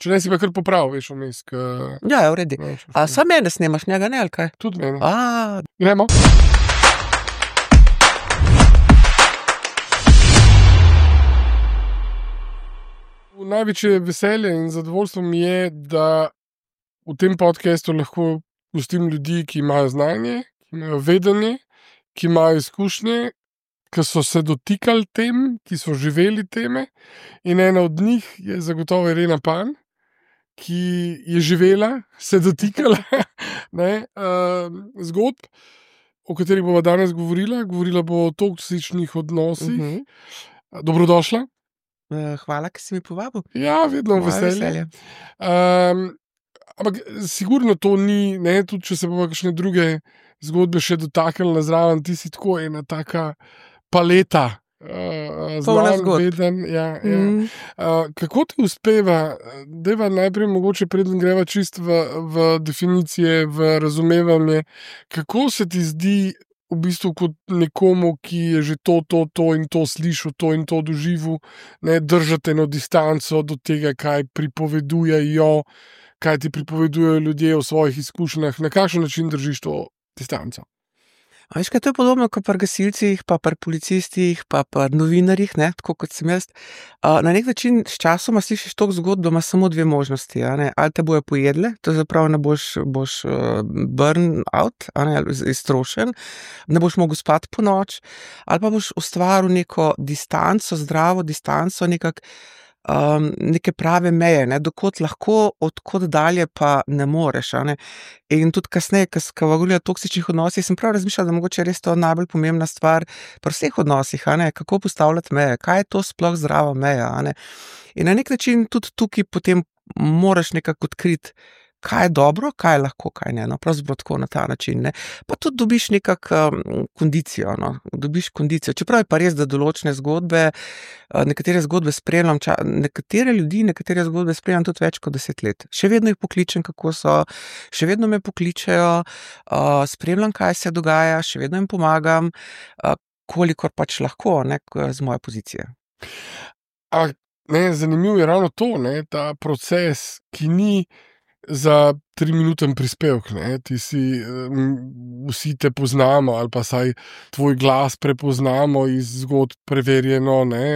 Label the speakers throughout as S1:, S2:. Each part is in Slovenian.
S1: Če ne si pa kar popravil, veš, vmes.
S2: Ja, v redu. A sam mene snemaš, njega ne, ali kaj?
S1: Tudi mene.
S2: A,
S1: Gremo. Največje veselje in zadovoljstvo mi je, da v tem podcastu lahko gostim ljudi, ki imajo znanje, ki imajo vedenje, ki imajo izkušnje, ki so se dotikali tem, ki so živeli teme. In ena od njih je zagotovo Irena Pan, ki je živela, se dotikala zgodb, o katerih bova danes govorila. Govorila bo o toksičnih odnosih. Dobrodošla.
S2: hvala, ki si mi povabil.
S1: Ja, vedno
S2: Moje
S1: veselje. Ampak sigurno to ni, ne, tudi če se bomo kakšne druge zgodbe še dotaknili zraven, ti si tako ena taka paleta.
S2: Polna zgodb.
S1: Veden, ja. Kako ti uspeva, deva najprej mogoče preden greva čist v definicije, v razumevanje, kako se ti zdi v bistvu kot nekomu, ki je že to in to slišal, to in to doživel, ne, držati eno distanco do tega, kaj pripovedujejo, kaj ti pripovedujejo ljudje o svojih izkušnjah, na kakšen način držiš to distanco?
S2: A veš, kaj to je podobno kot pri gasilcih, pa pri policistih, pa pri novinarjih, ne, tako kot sem jaz. Na nek način s časoma slišiš toliko zgodb, da imaš samo dve možnosti, a ne. Ali te bojo pojedle, to zapravo ne boš burn out, a ne, ali iztrošen, ne boš mogel spati po noč, ali pa boš ustvaril neko distanco, zdravo distanco, neke prave meje, ne, dokot lahko, odkot dalje pa ne moreš, a ne. In tudi kasneje, ko govorila o toksičnih odnosih, sem prav razmišljala, da mogoče res to najbolj pomembna stvar pri vseh odnosih, a ne, kako postavljati meje, kaj je to sploh zdrava meja, a ne. In na nek način tudi tukaj potem moraš nekako odkriti, kaj je dobro, kaj je lahko, kaj ne, no, pravzaprav tako na ta način, ne. Pa tudi dobiš kondicijo, no, dobiš kondicijo, čeprav je pa res, da določene zgodbe, nekatere zgodbe spremljam, nekatere ljudi, nekatere zgodbe spremljam tudi več kot 10 let. Še vedno jih pokličem, kako so, še vedno me pokličejo, spremljam, kaj se dogaja, še vedno jim pomagam, kolikor pač lahko, ne, z moje pozicije.
S1: Zanimivo je ravno to, ne, ta proces, ki ni za 3-minuten prispevek, ne, ti si, vsi te poznamo, ali pa saj tvoj glas prepoznamo iz zgodb preverjeno, ne,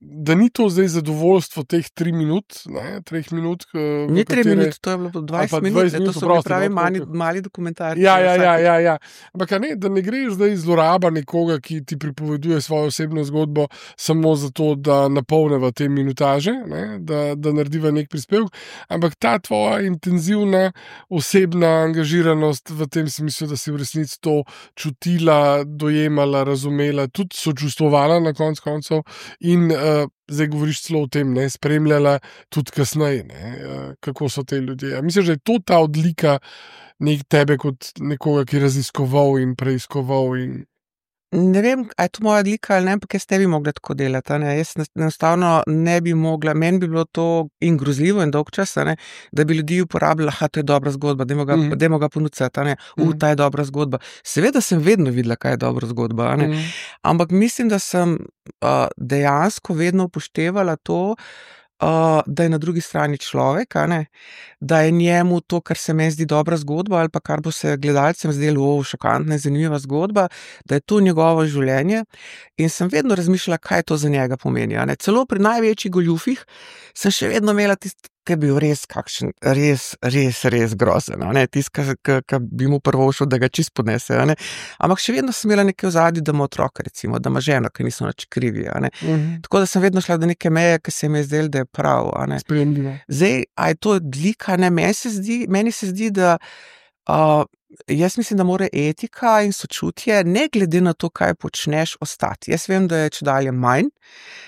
S1: da ni to zdaj zadovoljstvo teh 3 minut, ne, 3 minut,
S2: Ni 3 minut, to je bilo 20 minut, to so bili pravi mali dokumentarci.
S1: Ja. Ampak ne, da ne greš zdaj zloraba nekoga, ki ti pripoveduje svojo osebno zgodbo samo zato, da napolneva te minutaže, ne, da narediva nek prispevek, ampak ta tvoja intenzivna osebna angažiranost v tem smislu, da si v resnici to čutila, dojemala, razumela, tudi sočustvovala na koncu koncev in zdaj govoriš celo o tem, ne, spremljala tudi kasneje, ne, kako so te ljudje. Mislim, da je to ta odlika tebe kot nekoga, ki je raziskoval in preiskoval in...
S2: Ne vem, a je to moja odlika ali ne, ampak jaz ne bi mogla tako delati, a ne. Jaz enostavno ne bi mogla, meni bi bilo to in grozljivo in dolg čas, a ne, da bi ljudi uporabljala, to je dobra zgodba, dajmo ga ponucati, a ne, ta je dobra zgodba. Seveda sem vedno videla, kaj je dobra zgodba, a ne, ampak mislim, da sem dejansko vedno upoštevala to, da je na drugi strani človek, a ne, da je njemu to, kar se meni zdi dobra zgodba, ali pa kar bo se gledalcem zdelo šokantna in zanimiva zgodba, da je to njegovo življenje, in sem vedno razmišljala, kaj to za njega pomeni, a ne. Celo pri največjih goljufih sem še vedno imela tisti, ki je bil res kakšen, res grozen, a ne, tisti, ki bi mu prvošel, da ga čist podnese, a ne. Ampak še vedno sem imela nekaj v ozadju, da ima otroka, recimo, da ima ženo, ki niso nič krivi, a ne. Tako da sem vedno šla do neke meje, ki se mi je zdelo, da je prav, a ne.
S1: Sprejemljivo.
S2: Zdaj, a je to odlika, ne, meni se zdi, da jaz mislim, da mora etika in sočutje, ne glede na to, kaj počneš, ostati. Jaz vem, da je čedalje manj,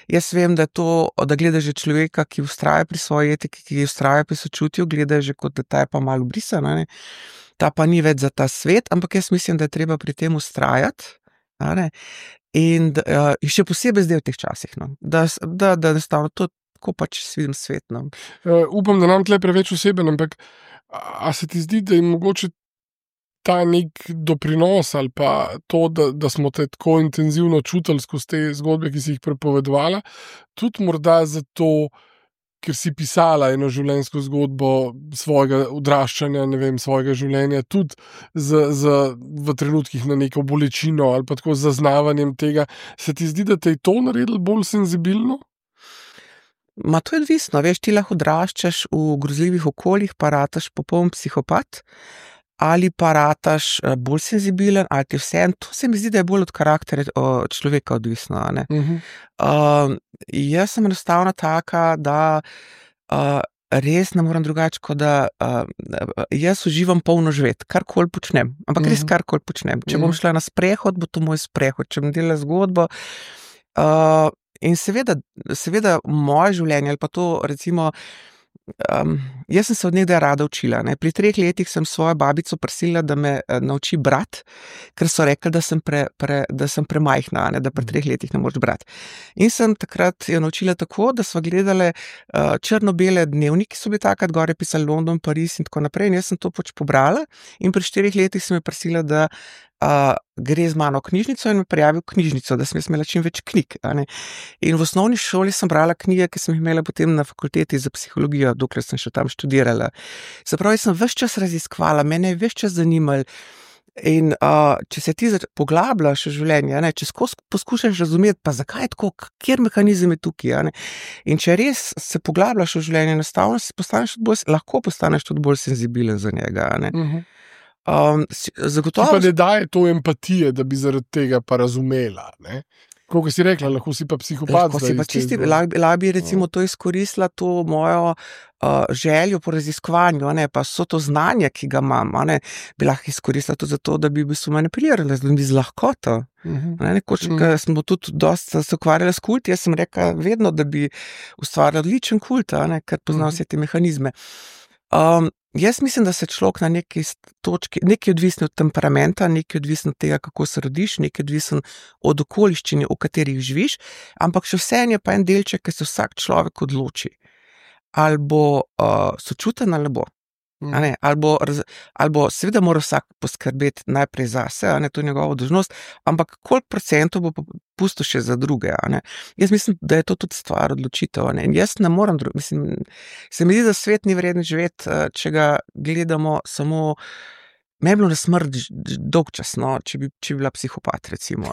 S2: jaz vem, da je to, da gledaš že človeka, ki vztraja pri svoji etiki, ki vztraja pri sočutju, gledaš že kot da ta je pa malo brisan, a ne. Ta pa ni več za ta svet, ampak jaz mislim, da je treba pri tem vztrajati, a ne. In še posebej zdaj v teh časih, no. Da enostavno to tako pač vidim svet, no.
S1: Upam, da nam tle preveč oseben, ampak a se ti zdi, da je mogoče ta nek doprinos ali pa to, da smo te tako intenzivno čutili skozi te zgodbe, ki si jih prepovedovala, tudi morda zato ker si pisala eno življenjsko zgodbo svojega odraščanja, ne vem, svojega življenja, tudi v trenutkih na neko bolečino ali pa tako z zaznavanjem tega, se ti zdi, da te je to naredilo bolj senzibilno?
S2: Ma to je odvisno, veš, ti lahko odraščaš v grozljivih okoljih, pa rataš popoln psihopat, ali pa rataš bolj senzibilen, ali ti vseeno, to se mi zdi, da je bolj od karakterja človeka odvisno, a ne. Jaz sem enostavno taka, da res ne morem drugače, kot da jaz uživam polno živeti, karkoli počnem, ampak res karkoli počnem. Če bom šla na sprehod, bo to moj sprehod, če bom delala zgodbo. In seveda moje življenje, ali pa to recimo, jaz sem se od nekdaj rada učila, ne. Pri 3 letih sem svojo babico prosila, da me nauči brati, ker so rekli, da sem premajhna, ne, da pri 3 letih ne moreš brati. In sem takrat jo naučila tako, da sva gledale črno-bele dnevniki, so bili takrat, gor je pisali London, Pariz in tako naprej, in jaz sem to pač pobrala in pri 4 letih sem jo prosila, da gre z mano v knjižnico in me prijavi v knjižnico, da sem jaz imela čim več knjig, a ne. In v osnovni šoli sem brala knjige, ki sem jih imela potem na fakulteti za psihologijo, dokler sem še tam študirala. Se pravi, sem ves čas raziskvala, mene je ves čas zanimalo. In če se ti poglabljaš v življenje, a ne, če skozi poskušaš razumeti, pa zakaj je tako, kjer mehanizem je tukaj, a ne. In če res se poglabljaš v življenje, enostavno lahko postaneš tudi bolj senzibilen za njega, a ne. Zagotovo.
S1: Ti pa ne daje to empatije, da bi zaradi tega pa razumela, ne? Koliko si rekla, lahko si pa psihopat.
S2: Lahko si pa čisti, lahko bi recimo to izkoristila, to mojo željo po raziskovanju, a ne, pa so to znanje, ki ga imam, a ne, bi lahko izkoristila tudi zato, da bi manipulirala z lahkoto. Nekoč, ko smo tudi dosti se ukvarjali s kulti, jaz sem rekla vedno, da bi ustvarila odličen kult, a ne, ker pozna vse te mehanizme. Jaz mislim, da se človek na neki točki, nekaj odvisno od temperamenta, nekaj odvisno od tega, kako se rodiš, nekaj odvisno od okoliščine, v katerih živiš, ampak še vseeno je pa en delček, ki se vsak človek odloči. Ali bo sočuten ali ne bo. A ne, ali bo seveda mora vsak poskrbeti najprej zase, a ne, to je njegova dolžnost, ampak koliko procentov bo pustil še za druge, a ne. Jaz mislim, da je to tudi stvar odločitev, a ne, in jaz ne morem mislim, se mi zdi, da svet ni vreden živeti, če ga gledamo samo. Me je bilo na smrt dolg čas, no, če bi bila psihopat, recimo.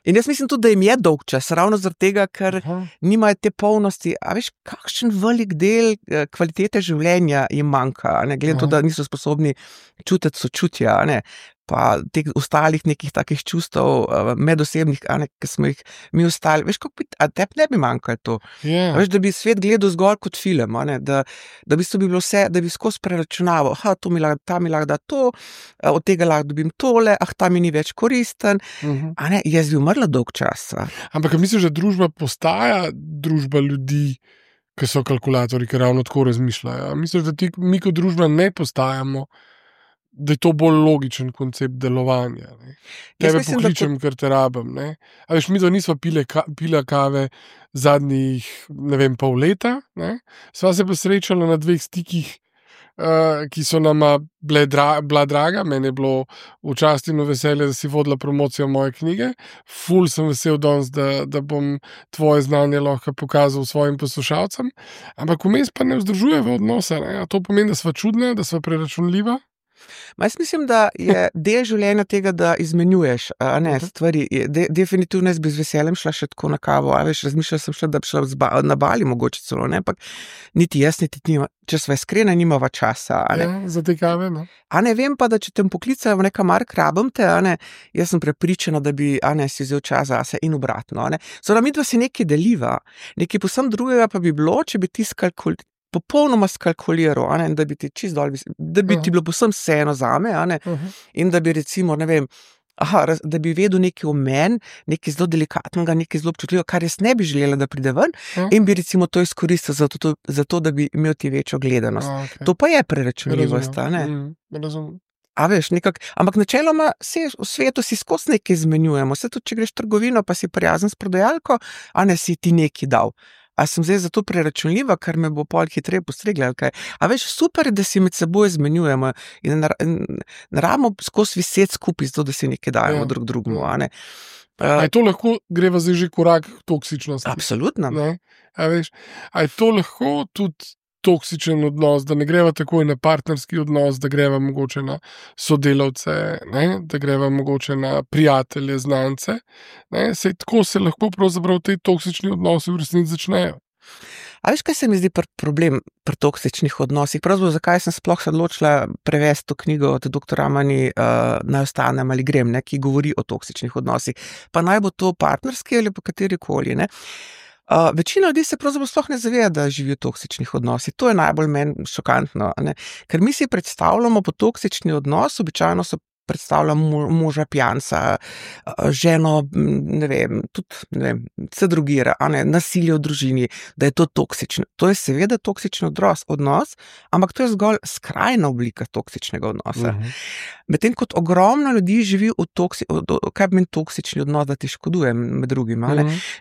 S2: In jaz mislim tudi, da jim je dolg čas, ravno zaradi tega, ker nimajo te polnosti. A veš, kakšen velik del kvalitete življenja jim manjka, a ne, glede to, da niso sposobni čutiti sočutja, a ne, pa teh ostalih nekih takih čustev medosebnih, a ne, ki smo jih mi ostali. Veš, a tebi ne bi manjkalo to?
S1: Yeah.
S2: Veš, da bi svet gledal zgolj kot film, a ne, da v bistvu bi bilo vse, da bi skozi preračunaval, ta mi lahko da to, od tega lahko dobim tole, ta mi ni več koristen, a ne, jaz bi umrla dolg čas.
S1: Ampak misliš, da družba postaja družba ljudi, ki so kalkulatorji, ki ravno tako razmišljajo? Misliš, da mi kot družba ne postajamo, da je to bolj logičen koncept delovanja, ne? Tebe pokličem, ker te rabim, ne? A veš, mi da nisva pila kave zadnjih, ne vem, pol leta, ne? Sva se pa srečala na 2 stikih, ki so nama bila draga. Meni je bilo v čast in v veselje, da si vodila promocijo moje knjige. Ful sem vesel danes, da bom tvoje znanje lahko pokazal svojim poslušalcem. Ampak vmes pa ne vzdržujeva odnosa, ne? A to pomeni, da sva čudna, da sva preračunljiva?
S2: Jaz mislim, da je del življenja tega, da izmenjuješ, a ne, stvari. Definitivno jaz bi z veseljem šla še tako na kavo, a veš, razmišljala sem še, da bi šla na Bali mogoče celo, ne, ampak niti jaz, niti ti, če sva iskrena, nimava časa, a ne.
S1: Ja, za te kave, ne.
S2: A ne, vem pa, da če te poklicajo v neka mark, rabim te, a ne, jaz sem prepričana, da bi, a ne, si vzel čas zase in obratno, a ne. Zdaj, midva si nekaj deliva, nekaj povsem drugega pa bi bilo, če bi ti popolnoma skalkuliral, a ne, da bi ti čisto dol, da bi ti bilo povsem vseeno zame, a ne, in da bi recimo, ne vem, da bi vedel nekaj o meni, nekaj zelo delikatnega, nekaj zelo občutljivega, kar jaz ne bi želela, da pride ven, in bi recimo to izkoristil za to, da bi imel ti večjo gledanost.
S1: Okay.
S2: To pa je preračunljivost, a ne.
S1: Razumem.
S2: A veš, ampak načeloma v svetu si skozi nekaj izmenjujemo, se tudi, če greš v trgovino, pa si prijazen s prodajalko, a ne, si ti nekaj dal. A sem zdaj zato preračunljiva, ker me bo pol hitreje postregla, ali kaj. A veš, super, da si med seboj izmenjujemo in ne rabimo skozi viseti skupaj, zato da si nekaj dajemo drug drugemu, a ne.
S1: A je to lahko, greva zdaj že korak k toksičnosti?
S2: Absolutno.
S1: Ne? A veš, a je to lahko tudi toksičen odnos, da ne greva takoj na partnerski odnos, da greva mogoče na sodelavce, ne? Da greva mogoče na prijatelje, znance. Sej tako se lahko pravzaprav te toksični odnosi v resnici začnejo.
S2: A veš, kaj se mi zdi problem pri toksičnih odnosih? Pravzaprav, zakaj sem sploh se odločila prevesti to knjigo od dr. Mani Naj ostanem ali grem, ne, ki govori o toksičnih odnosih. Pa naj bo to partnerski ali pa katerikoli, ne. Večina ljudi se pravzaprav sploh ne zaveda, da živijo v toksičnih odnosih. To je najbolj meni šokantno, ne. Ker mi si predstavljamo po toksični odnos, običajno so predstavljam moža pijanca, ženo, ne vem, tudi, ne vem, se drogira, nasilje v družini, da je to toksično. To je seveda toksičen odnos, ampak to je zgolj skrajna oblika toksičnega odnosa. Medtem kot ogromno ljudi živi kaj pomeni toksični odnos, da ti škoduje med drugim,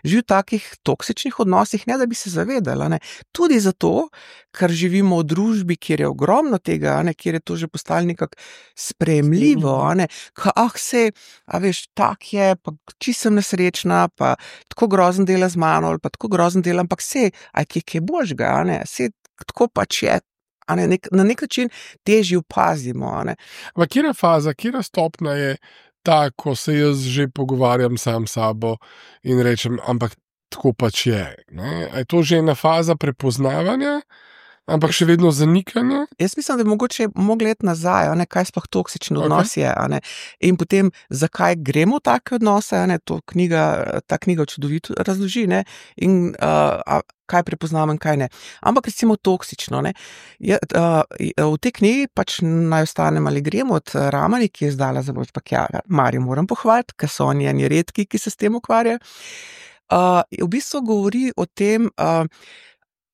S2: živi v takih toksičnih odnosih, ne da bi se zavedali, ne. Tudi zato, ker živimo v družbi, kjer je ogromno tega, kjer je to že postalo nekako sprejemljivo, sej, a veš, tak je, pa čisto sem nesrečna, pa tako grozen dela z mano, ali pa tako grozen dela, ampak sej, kaj božga, sej, tako pač je, na nek način težje opazimo,
S1: Ma katera faza, katera stopnja je ta, ko se jaz že pogovarjam sam s sabo in rečem, ampak tako pač je, ne? A je to že ena faza prepoznavanja? Ampak še vedno zanikanje?
S2: Jaz mislim, da bi mogoče mogli iti nazaj, kaj sploh toksični odnos je, in potem, zakaj gremo v take odnose, ta knjiga čudovito razloži, in kaj prepoznamo in kaj ne. Ampak recimo toksično, v tej knjigi pač Naj ostanem ali grem od Ramani, ki je izdala založba Kiara. Marijo moram pohvaliti, ker so oni eni redki, ki se s tem ukvarjajo. V bistvu govori o tem,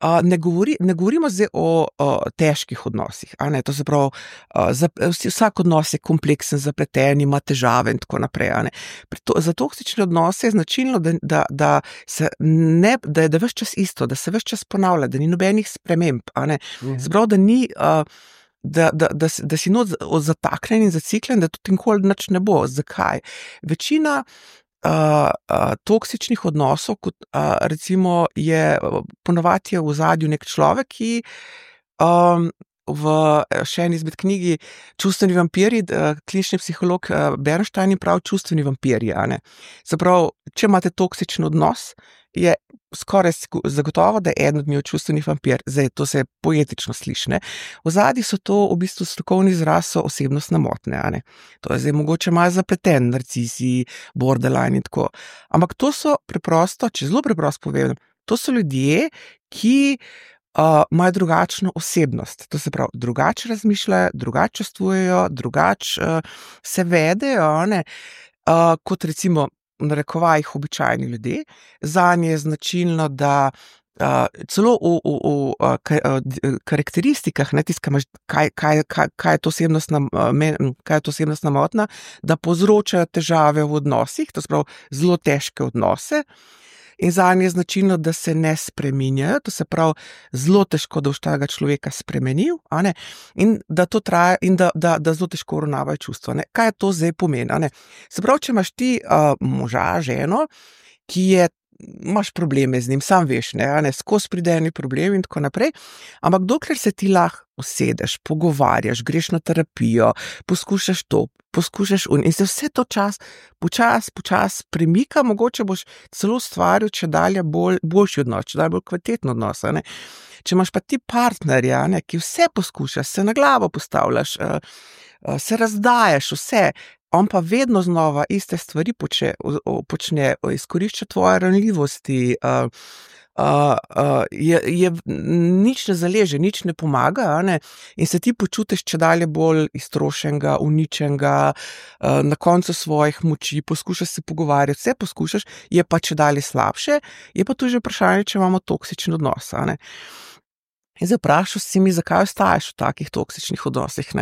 S2: ne govorimo zdaj o težkih odnosih, to se pravi, vsak odnos je kompleksen, zapleten, ima težave in tako naprej, Za toksične odnose je značilno, da je ves čas isto, da se ves čas ponavlja, da ni nobenih sprememb, Se pravi, da ni, da si not zataknjen in zaciklen, da tudi nikoli nič ne bo. Zakaj? Večina toksičnih odnosov, kot recimo je ponavadi v ozadju nek človek, ki v še eni izmed knjigi Čustveni vampirji, klinični psiholog Bernstein pravi čustveni vampirji, Se pravi, če imate toksičen odnos, je skoraj zagotovo, da je eden od njih čustveni vampir. Zdaj, to se poetično sliši, V ozadju so to v bistvu strokovni izraz, so osebnostne motnje, To je zdaj mogoče malo zapleten, narcisi, borderline in tako. Ampak to so preprosto, če zelo preprosto povem, to so ljudje, ki imajo drugačno osebnost. To se pravi, drugače razmišljajo, drugače čustvujejo, drugače se vedejo, kot recimo v narekovajih običajni ljudje. Zanje je značilno, da celo v karakteristikah, kaj je to osebnostna motnja, da povzročajo težave v odnosih, to se pravi zelo težke odnose. In zanje je značilno, da se ne spreminjajo, to se pravi, zelo težko, da boš tega človeka spremenil, in da to traja in da zelo težko uravnavajo čustva. Kaj je to zdaj pomeni? Se pravi, če imaš ti moža, ženo, ki imaš probleme z njim, sam veš, skozi pride eni problemi in tako naprej, ampak dokler se ti lahko usedeš, pogovarjaš, greš na terapijo, poskušaš to, poskušaš in se vse to počas premika, mogoče boš celo ustvaril čedalje boljši odnos, čedalje bolj kvaliteten odnos, Če imaš pa ti partnerja, ki vse poskušaš, se na glavo postavljaš, se razdajaš, vse, on pa vedno znova iste stvari počne, izkorišča tvoje ranljivosti, nič ne zaleže, nič ne pomaga, in se ti počutiš čedalje bolj iztrošenega, uničenega, na koncu svojih moči, poskušaš se pogovarjati, vse poskušaš, je pa čedalje slabše, je pa tu že vprašanje, če imamo toksičen odnos, In zdaj vprašal si mi, zakaj ostaješ v takih toksičnih odnosih,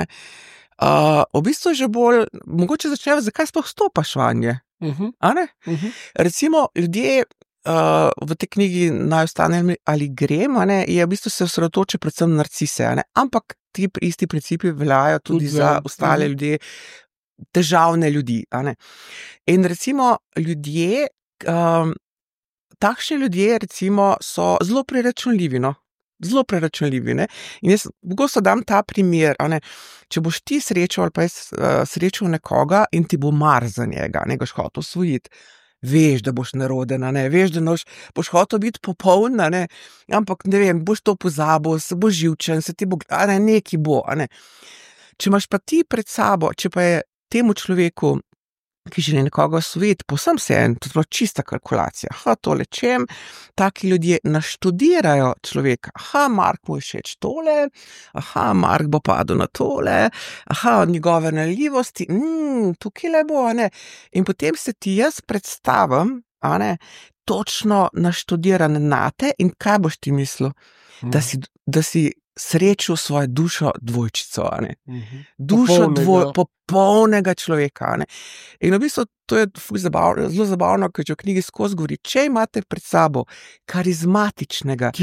S2: v bistvu je že bolj, mogoče začneva, zakaj sploh stopaš vanje, Recimo, ljudje v tej knjigi Naj ostanem ali grem, je v bistvu se osredotoča predvsem narcise, ampak ti isti principi veljajo tudi za ostale ljudje, težavne ljudi. A ne? In recimo ljudje, takšni ljudje recimo so zelo preračunljivi, no. Zelo preračunljivi, ne. In jaz pogosto dam ta primer, a ne. Če boš ti srečal ali pa jaz srečal nekoga in ti bo mar za njega, ne, ga boš hotel osvojiti, veš, da boš neroden, a ne, veš, da boš hotel biti popoln, a ne, ampak ne vem, boš to pozabil, se boš živčen, se ti bo, a ne, nekaj bo, a ne. Če imaš pa ti pred sabo, če pa je temu človeku, ki želi nekoga osvojiti, povsem vseeno, to je čista kalkulacija. Tole čem, taki ljudje naštudirajo človeka. Mark mu je všeč tole, Mark bo padel na tole, njegove naljivosti, tukaj le bo, a ne. In potem se ti jaz predstavim, a ne, točno naštudiran nate in kaj boš ti mislil? Da si srečal svojo dušo dvojčico, a ne. Dušo popolnega človeka, a ne. In v bistvu to je zelo zabavno, ker če v knjigi skozi govori, če imate pred sabo karizmatičnega,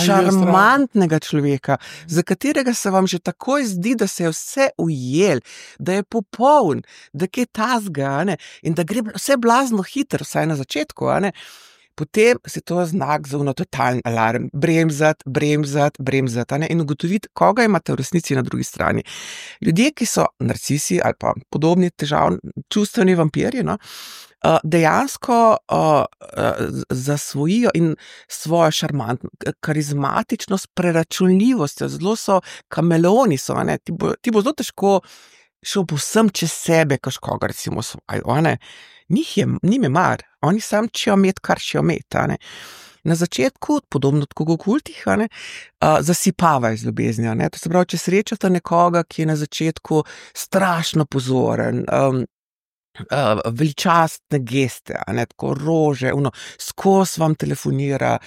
S2: šarmantnega človeka, za katerega se vam že takoj zdi, da se je vse ujel, da je popoln, da je tazga, a ne, in da gre vse blazno hitro, vsaj na začetku, a ne. Potem se to znak za totalni alarm, bremzati, a ne, in ugotoviti, koga imate v resnici na drugi strani. Ljudje, ki so narcisi ali pa podobni čustveni vampirji, no, dejansko zasvojijo in svojo karizmatičnost, preračunljivostjo, zelo so kameleoni, a ne, ti bo zelo težko šel povsem čez sebe, koga recimo svojo, a ne. Njim je mar, oni sam čejo met, kar čejo met, a ne. Na začetku, podobno tako v kultih, a ne, zasipavajo z ljubezni, a ne. To se pravi, če srečate nekoga, ki je na začetku strašno pozoren, veličastne geste, a ne, tako rože, skozi vam telefonira,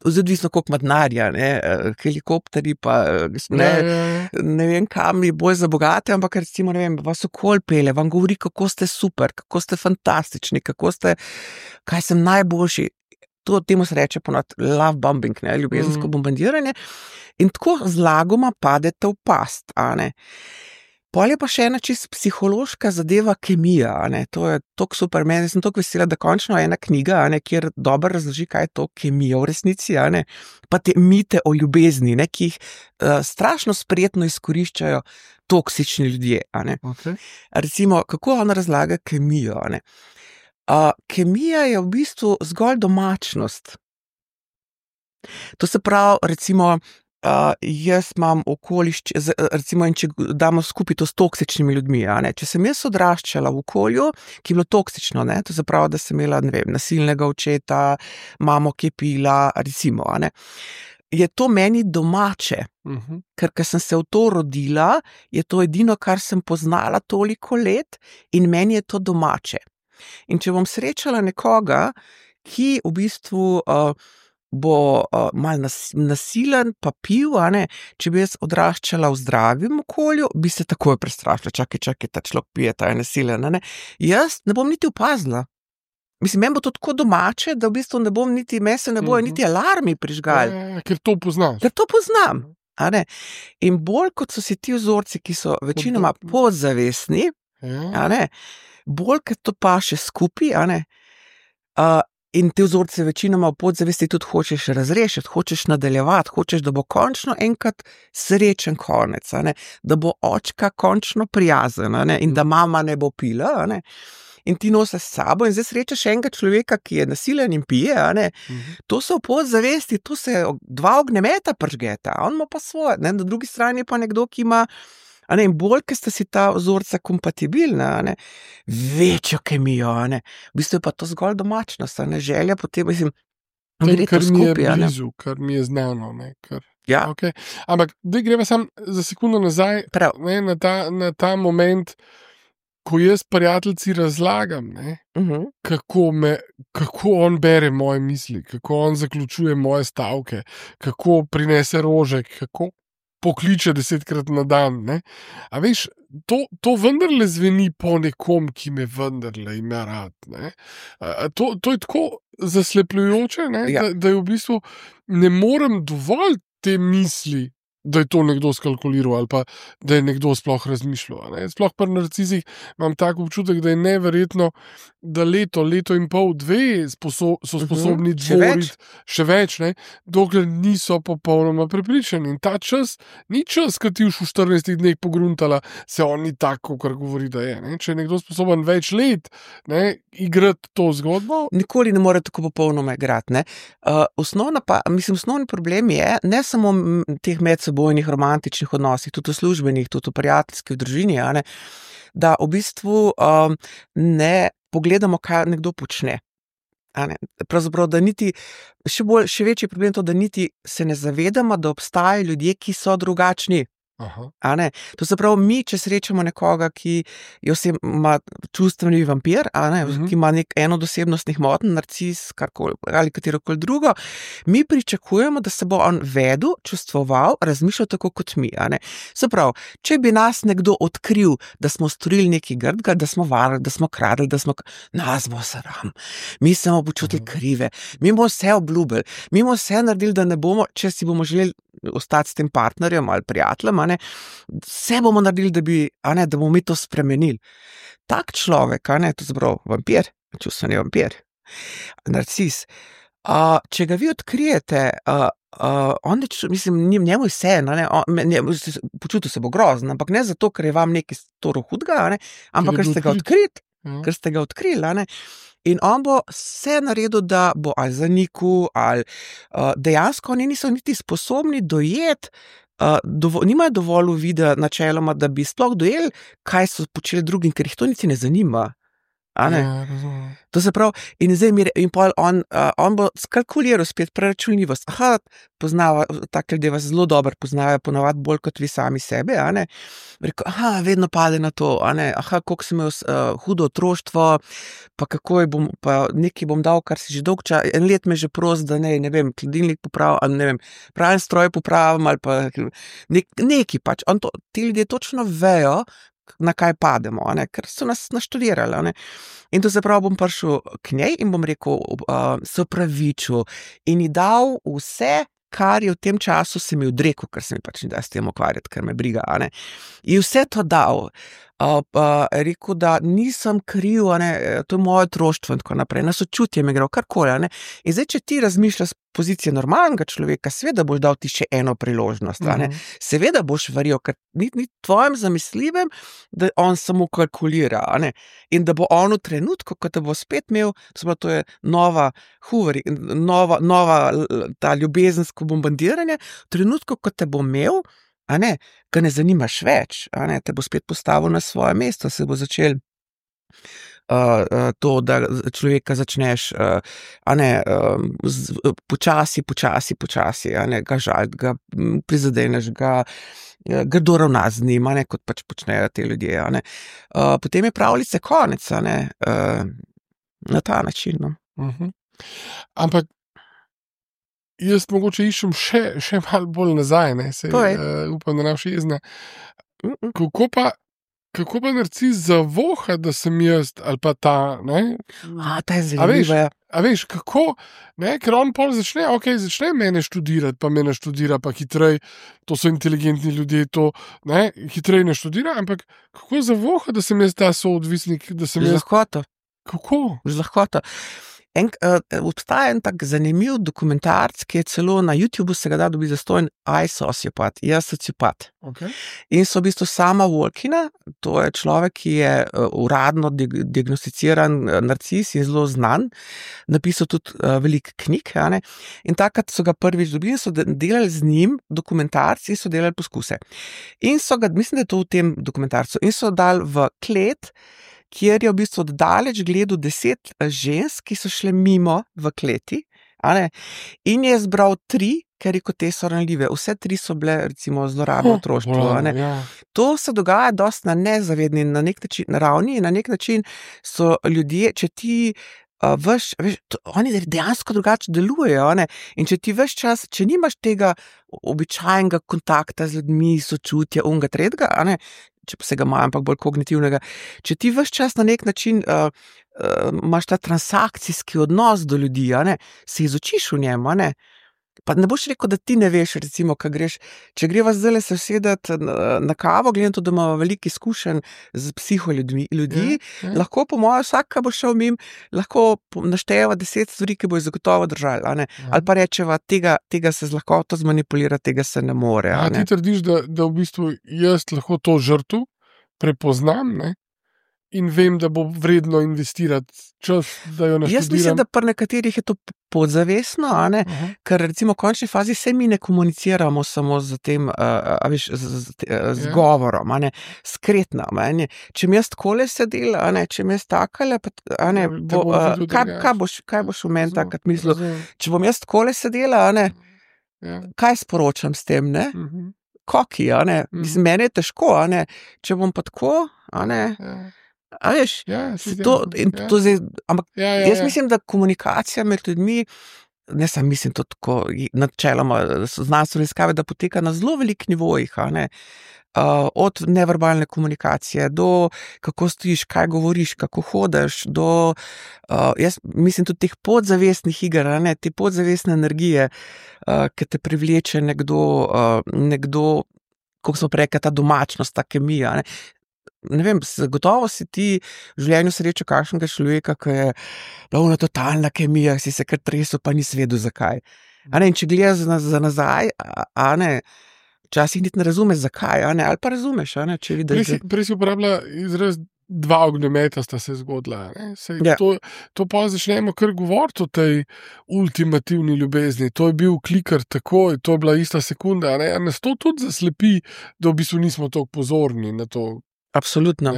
S2: odvisno koliko ima denarja, ne, helikopterji pa, ne vem kam je bolj za bogate, ampak recimo, ne vem, vas okoli pelje, vam govori, kako ste super, kako ste fantastični, kaj sem najboljši. Temu se reče ponavadi love bombing, ne, ljubezensko bombardiranje, in tako zlagoma padete v past, a ne. Pol je pa še ena čisto psihološka zadeva, kemija, a ne, to je toliko super, meni sem toliko vesela, da končno ena knjiga, a ne, kjer dobro razloži, kaj je to kemija v resnici, a ne, pa te mite o ljubezni, ne, ki jih strašno spretno izkoriščajo toksični ljudje, a ne.
S1: Okay.
S2: Recimo, kako ona razlaga kemijo, a ne. Kemija je v bistvu zgolj domačnost. To se pravi, recimo, jaz imam recimo, in če damo skupaj to s toksičnimi ljudmi, a ne, če sem jaz odraščala v okolju, ki je bilo toksično, ne, to se pravi, da sem imela, ne vem, nasilnega očeta, mamo, ki je pila, recimo, a ne, je to meni domače, ker sem se v to rodila, je to edino, kar sem poznala toliko let in meni je to domače. In če bom srečala nekoga, ki v bistvu bo malo nasilen, pa pil, a ne, če bi jaz odraščala v zdravem okolju, bi se takoj prestrašila, čakaj, ta človek pije, ta je nasilen, a ne. Jaz ne bom niti opazila. Mislim, meni bo to tako domače, da v bistvu ne bom niti, meni se ne bojo niti alarmi prižgali.
S1: Ker to poznaš.
S2: Ker to poznam, a ne. In bolj kot so si ti vzorci, ki so večinoma podzavestni, a ne, bolj kot to paše skupaj, a ne, in te vzorce večinoma v podzavesti tudi hočeš razrešiti, hočeš nadaljevati, hočeš, da bo končno enkrat srečen konec, a ne, da bo očka končno prijazen, a ne, in da mama ne bo pila, a ne, in ti nosiš s sabo in zdaj srečaš enega človeka, ki je nasilen in pije, a ne, to so v podzavesti, to se dva ognjemeta pržgeta, on ima pa svoje, ne, na drugi strani je pa nekdo, ki ima, a ne, in bolj, ker sta si ta vzorca kompatibilna, a ne, večjo kemijo, a ne, v bistvu je pa to zgolj domačnost, a ne, želja potem, mislim, gre to skupaj, a ne.
S1: Kar mi je znano, ne,
S2: Ja.
S1: Okay. Ampak, da greva sam za sekundo nazaj, ne, na ta moment, ko jaz prijateljci razlagam, ne, kako on bere moje misli, kako on zaključuje moje stavke, kako prinese rožek, kako pokliče 10-krat na dan, ne. A veš, to vendarle zveni po nekom, ki me vendarle ima rad, ne. To je tako zaslepljujoče, ne, da je v bistvu ne morem dovolj te misli da je to nekdo skalkuliral ali pa da je nekdo sploh razmišljal. Sploh pri narcizih imam tak občutek, da je neverjetno, da leto in pol, dve so sposobni dvoriti še več, dokler niso popolnoma prepričani. In ta čas ni čas, ki ti v 14 dneh pogruntala, se on ni tako, kar govori, da je. Če je nekdo sposoben več let igrati to zgodbo.
S2: Nikoli ne more tako popolnoma igrati. Osnovni problem je ne samo teh medsebojnih romantičnih odnosih, tudi v službenih, tudi v prijateljskih, v družini, da v bistvu ne pogledamo, kaj nekdo počne. Pravzaprav, da niti še večji problem je to, da niti se ne zavedamo, da obstajajo ljudje, ki so drugačni. To se pravi, mi, če srečamo nekoga, ki ima čustveni vampir, ki ima eno od osebnostnih motenj, narcis, ali katerokoli drugo, mi pričakujemo, da se bo on vedel, čustvoval, razmišljal tako kot mi. Se pravi, če bi nas nekdo odkril, da smo storili nekaj grdega, da smo varali, da smo kradli, nas bo sram, mi se bomo počutili krive, mi bomo vse obljubili, mi bomo vse naredili, da ne bomo, če si bomo želeli ostati s tem partnerjem ali prijateljem, vse bomo naredili, da bomo mi to spremenili. Tak človek, to se pravi vampir, čustveni vampir, narcis, če ga vi odkrijete, njemu je vse, počutil se bo grozno, ampak ne zato, ker je vam nekaj storil hudega, ampak ker ste ga odkrili, in on bo vse naredil, da bo ali zanikal, ali dejansko oni niso niti sposobni dojeti, nimajo dovolj uvida načeloma, da bi sploh dojeli, kaj so počeli drugim, ker jih to niti ne zanima. To se pravi, in zdaj on bo skalkuliral spet preračunljivost. Poznava, take ljudje vas zelo dobro poznajo, ponavadi bolj kot vi sami sebe, Rekel, vedno pade na to, koliko sem imel hudo otroštvo, pa kako pa nekaj bom dal, kar si že dolg čas, en let me že prost, da ne vem, hladilnik popravim, ali ne vem, pravim stroj popravim, ali pa nekaj pač. Ti ljudje točno vejo, na kaj pademo, ker so nas naštudirali. In to se pravi, bom prišel k njej in bom rekel, se opravičil in ji dal vse, kar je v tem času se mi odrekel, ker se mi pač ne da s tem ukvarjati, ker me briga. In vse to dal. Rekel, da nisem kriv, to je moje otroštvo in tako naprej, na sočutje me gre, karkoli. In zdaj, če ti razmišljaš z pozicije normalnega človeka, seveda boš dal ti še eno priložnost. Seveda boš verjel, ker ni tvojim zamislivem, da on samo kalkulira. In da bo on v trenutku, ko te bo spet imel, to je nova ta ljubezensko bombardiranje, v trenutku, ko te bo imel, ga ne zanimaš več, te bo spet postavil na svoje mesto, se bo začel to, da človeka začneš počasi, ga žaliti, ga prizadeneš, ga grdo ravnati z njim, kot pač počnejo te ljudje. Potem je pravljice konec, na ta način.
S1: Ampak jaz mogoče iščem še malo bolj nazaj, upam, da ne boš jezna. Kako pa narcis zavoha, da sem jaz, ali pa ta,
S2: Ta je zanimiva.
S1: A veš, kako, ker on pol začne mene študirati, pa me naštudira, pa hitrej, to so inteligentni ljudje, to, hitrej naštudira, ampak kako zavoha, da sem jaz ta soodvisnik, da sem jaz...
S2: Z lahkoto.
S1: Kako?
S2: Z lahkoto. Obstaja en tak zanimiv dokumentarc, ki je celo na YouTubeu, se ga da dobiti zastonj, I sociopat, jaz sociopat. In so v bistvu Sama Walkina, to je človek, ki je uradno diagnosticiran narcis in zelo znan, napisal tudi veliko knjig, in takrat so ga prvič dobili in so delali z njim dokumentarci in so delali poskuse. In so ga, mislim, da je to v tem dokumentarcu, in so dali v klet, kjer je v bistvu oddaleč gledal 10 žensk, ki so šle mimo v kleti, in je zbral 3, ker je kot te so ranljive. Vse 3 so bile, recimo, zlorabno otroštvo. To se dogaja dosti na nezavedni ravni in na nek način so ljudje, če ti oni dejansko drugače delujejo, in če ti ves čas, če nimaš tega običajnega kontakta z ljudmi, sočutja, unga tretjega, če pa se ga imajo, ampak bolj kognitivnega, če ti ves čas na nek način imaš ta transakcijski odnos do ljudi, se izučiš v njem, Pa ne boš rekel, da ti ne veš, recimo, kaj greš. Če greva zdaj se usedeti na kavo, gledam to, da imamo veliko izkušenj z psiholjudmi, lahko po mojem vsak, ki bo šel mimo, lahko našteva 10 stvari, ki bo zagotovo držali, a ne? Ali pa rečeva, tega se z lahkoto zmanipulira, tega se ne more, a ne?
S1: Ti trdiš, da v bistvu jaz lahko to žrtev prepoznam, ne? In vem, da bo vredno investirati čas, da jo naštudiram.
S2: Jaz mislim, da pri nekaterih je to podzavestno, a ne? Ker recimo v končni fazi se mi ne komuniciramo samo z tem, z govorom, a ne? Skretno, a ne? Če mi jaz takole sedel, a ne? Če mi jaz takale, a ne? Kaj boš v meni takrat mislil? Če bom jaz takole sedela, a ne? Kaj sporočam s tem, ne? Koki, a ne? Mislim, meni je težko, a ne? Če bom pa tako, a ne? A veš, ampak jaz mislim, da komunikacija med ljudmi, ne sam mislim to tako načeloma znanstvene raziskave, da poteka na zelo velikih nivojih, a ne, od neverbalne komunikacije do kako stojiš, kaj govoriš, kako hodeš, do jaz mislim tudi teh podzavestnih iger, a ne, te podzavestne energije, ki te privleče nekdo, kako smo rekli, ta domačnost, ta kemija, ne. Ne vem, zagotovo si ti v življenju srečal kakšnega človeka, ki je bila totalna kemija, si se kar tresel, pa nisi vedel zakaj. A ne, in če gledaš za nazaj, a ne, včasih niti ne razumeš zakaj, a ne, ali pa razumeš, a ne, če vidiš.
S1: Prej si uporabila izraz 2 ognjemeta sta se zgodila, ne? To pa začnemo kar govoriti o tej ultimativni ljubezni. To je bil kliker takoj, to je bila ista sekunda, ne? A nas to tudi zaslepi, da v bistvu nismo toliko pozorni na to.
S2: Absolutno.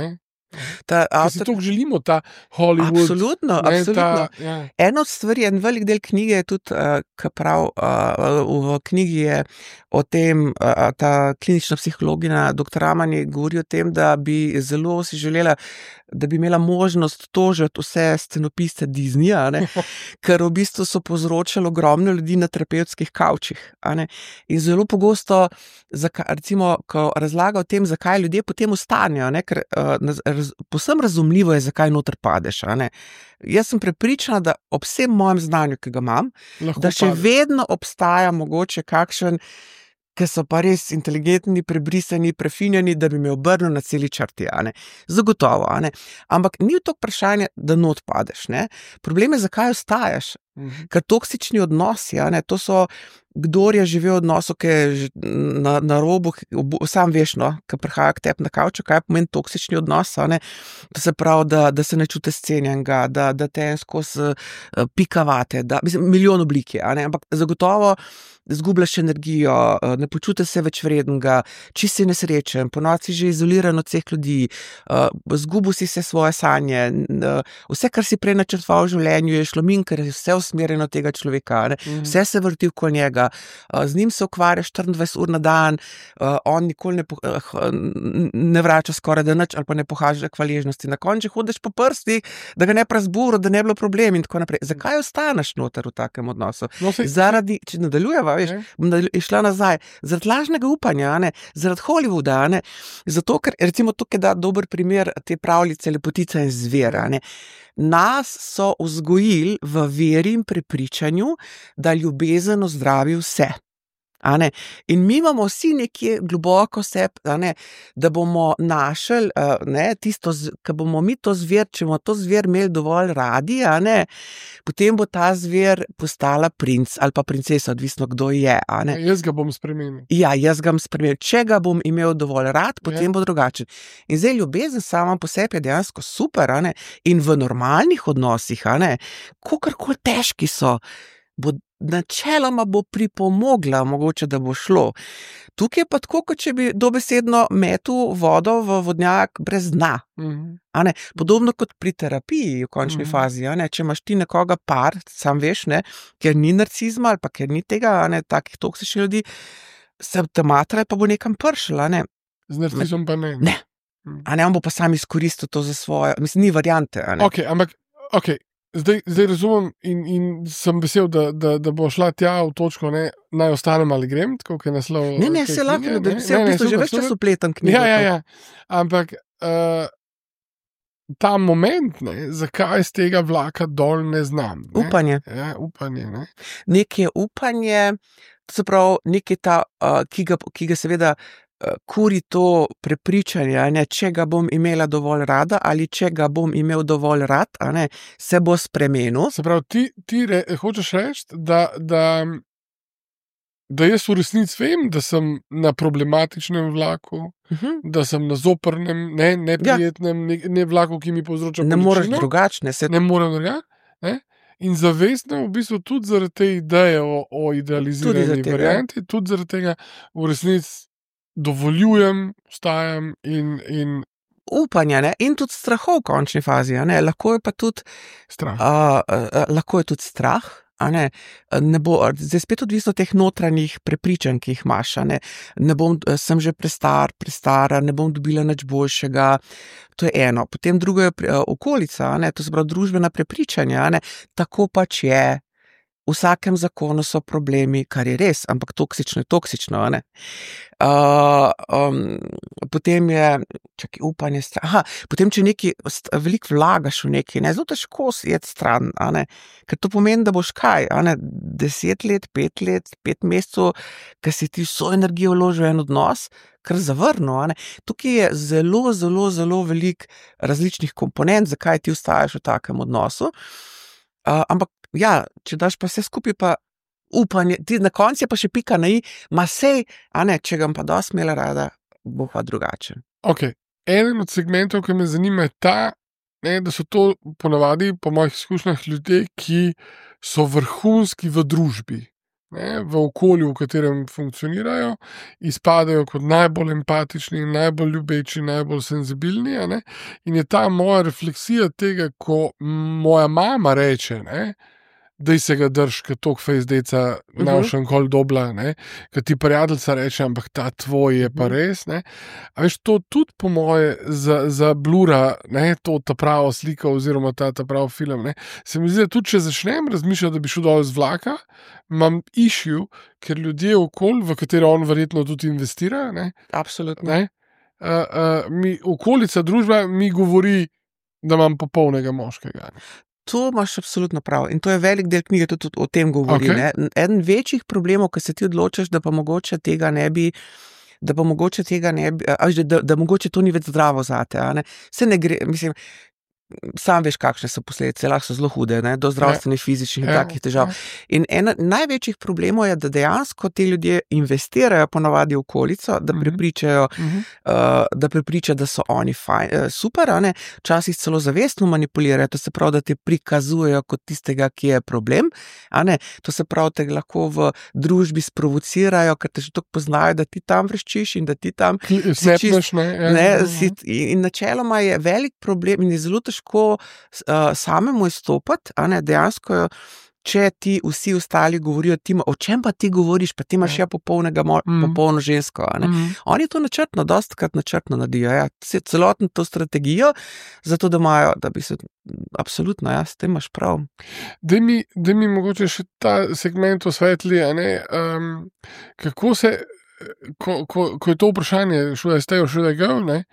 S1: Si to želimo, ta Hollywood.
S2: Absolutno. Eno od stvari, en velik del knjige je tudi, v knjigi je o tem, ta klinična psihologinja dr. Amani govori o tem, da bi zelo si želela, da bi imela možnost tožiti vse scenopiste Disneyja, ne, ker v bistvu so povzročali ogromno ljudi na terapevtskih kavčih, a ne, in zelo pogosto, recimo, ko razlaga o tem, zakaj ljudje potem ostanejo, ne, ker povsem razumljivo je, zakaj noter padeš, a ne. Jaz sem prepričana, da ob vsem mojem znanju, ki ga imam, da še vedno obstaja mogoče kakšen, ki so pa res inteligentni, prebrisani, prefinjeni, da bi me obrnil na celi črti, a ne. Zagotovo, a ne. Ampak ni to vprašanje, da not padeš, ne. Problem je, zakaj ostajaš. Ker toksični odnosi, a ne, to so, kdor je živel v odnosu, ki je na robu, sam veš, no, ki prihaja k tebi na kavču, kaj pomeni toksični odnos, a ne, to se pravi, da se ne čutiš cenjenega, da te skozi pikavate, mislim, milijon oblik je, a ne, ampak zagotovo zgubljaš energijo, ne počutiš se več vrednega, čisto si nesrečen, ponoči si že izoliran od vseh ljudi, zgubil si se svoje sanje, vse, kar si prej načrtoval v življenju, je šlo min, ker je vse usmerjeno tega človeka, ne? Vse se vrti okoli njega, z njim se ukvarjaš 24 ur na dan, on nikoli ne vrača skoraj da nič ali pa ne pokaže hvaležnosti, na koncu hodiš po prstih, da ga ne razburo, da ne bi bilo problem in tako naprej. Zakaj ostaneš noter v takem odnosu? Zaradi, če nadaljujeva, veš, bom išla nazaj, zaradi lažnega upanja, ne? Zaradi Hollywooda, ne? Zato, ker recimo tukaj da dober primer te pravljice Lepotica in zver, ne? Nas so vzgojili v veri in prepričanju, da ljubezen ozdravi vse. A ne? In mi imamo vsi nekje globoko sebi, a ne, da bomo našli, ne, tisto, ko bomo mi to zver, če bomo to zver imeli dovolj radi, a ne, potem bo ta zver postala princ ali pa princesa, odvisno kdo je, a ne.
S1: Jaz ga bom spremenil.
S2: Ja, jaz ga bom spremenil. Če ga bom imel dovolj rad, potem bo drugačen. In zdaj ljubezen sama po sebi je dejansko super, a ne, in v normalnih odnosih, a ne, kakorkoli težki so, načeloma bo pripomogla, mogoče, da bo šlo. Tukaj je pa tako, kot če bi dobesedno metul vodo v vodnjak brez dna. A ne? Podobno kot pri terapiji v končni fazi, a ne? Če imaš ti nekoga par, sam veš, ne, ker ni narcizma ali pa ker ni tega, a ne, takih toksičnih ljudi, se te matra pa bo nekam pršel, a ne.
S1: Z narcizom pa ne.
S2: Ne. A ne, on bo pa sam izkoristil to za svoje, mislim, ni variante, a ne.
S1: Okej. Zdaj razumem in sem vesel, da bo šla tja v točko, ne, naj ostanem ali grem, tako kot je naslov.
S2: Ne, se lahko, da se v bistvu že več čas upletam knjigo.
S1: Ja. Ampak ta moment, ne, zakaj z tega vlaka dol ne znam. Ne?
S2: Upanje.
S1: Ja, upanje. Ne?
S2: Nekje upanje, to se pravi, nekje ta, ki ga seveda kuri to prepričanje, a ne, če ga bom imela dovolj rada ali če ga bom imel dovolj rad, a ne, se bo spremenil.
S1: Se pravi, ti hočeš reči, da jaz v resnici vem, da sem na problematičnem vlaku, da sem na zoprnem, neprijetnem, ne vlaku, ki mi povzroča
S2: Ne
S1: bolečino.
S2: moreš drugačne.
S1: Ne morem drugače. In zavestno v bistvu tudi zaradi te ideje o idealizirani varianti, tudi zaradi tega v resnici dovoljujem, vstajam in
S2: upanja, ne? In tudi strahov v končni fazi, a ne? Lahko je pa tudi
S1: strah.
S2: Lahko je tudi strah, a ne? Ne bo, zdaj spet odvisno od teh notranjih prepričanj, ki jih imaš, a ne? Sem že prestara, ne bom dobila nič boljšega. To je eno. Potem drugo je okolica, a ne? To se pravi družbena prepričanja, a ne? Tako pač je. V vsakem zakonu so problemi, kar je res, ampak toksično je toksično, a ne? Potem je, upanje, potem, če veliko vlagaš v nekaj, ne, zelo težko je stran, a ne? Ker to pomeni, da boš kaj, a ne, 10 let, 5 let, 5 mesecev, ker si ti vso energijo vložil v en odnos, kar zavrnil, a ne? Tukaj je zelo, zelo, zelo veliko različnih komponent, zakaj ti ostajaš v takem odnosu. Ampak ja, če daš pa vse skupaj, pa upanje, ti na koncu je pa še pika na i, ma sej, a ne, če ga pa dosti imela rada, bo pa drugačen.
S1: Ok, eden od segmentov, ki me zanima, je ta, ne, da so to ponavadi, po mojih izkušnjah, ljudje, ki so vrhunski v družbi, ne, v okolju, v katerem funkcionirajo, izpadajo kot najbolj empatični, najbolj ljubeči, najbolj senzibilni, a ne, in je ta moja refleksija tega, ko moja mama reče, ne, daj se ga drž, ker tok fejzdeca navšen kol dobla, ne, ker ti prijateljca reče, ampak ta tvoj je pa res, ne. A veš, to tudi po moje za blura, ne, to ta prava slika oziroma ta pravi film, ne. Se mi zdi, da tudi če začnem razmišljati, da bi šel dol z vlaka, imam issue, ker ljudje okoli, v katere on verjetno tudi investira, ne.
S2: Absolutno.
S1: Ne, okolica, družba mi govori, da imam popolnega moškega.
S2: To imaš absolutno prav in to je velik del knjige tudi o tem govori.
S1: Okay.
S2: Ne? Eden večjih problemov, ko se ti odločiš, da pa mogoče tega ne bi, da mogoče to ni več zdravo zate, a ne? Se ne gre, mislim, sam veš, kakšne so posledice, lahko so zelo hude, ne? Do zdravstvenih, fizičnih in takih težav. In ena največjih problemov je, da dejansko ti ljudje investirajo ponavadi v okolico, da prepričajo, da so oni super, a ne? Včasih celo zavestno manipulirajo, to se pravi, da te prikazujejo kot tistega, ki je problem, a ne? To se pravi, te lahko v družbi sprovocirajo, ker te že toliko poznajo, da ti tam vreščiš in da ti tam
S1: snapneš,
S2: in načeloma je velik problem in je zelo težko samemu izstopati, a ne, dejansko, če ti vsi ostali govorijo, o čem pa ti govoriš, pa ti imaš popolno žensko, a ne. Oni to dostikrat načrtno naredijo, ja, celotno to strategijo, zato da imajo, da bi se, absolutno, ja, s tem imaš prav.
S1: Daj mi mogoče še ta segment osvetli, a ne, kako se, ko je to vprašanje, should I stay or should I go, ne,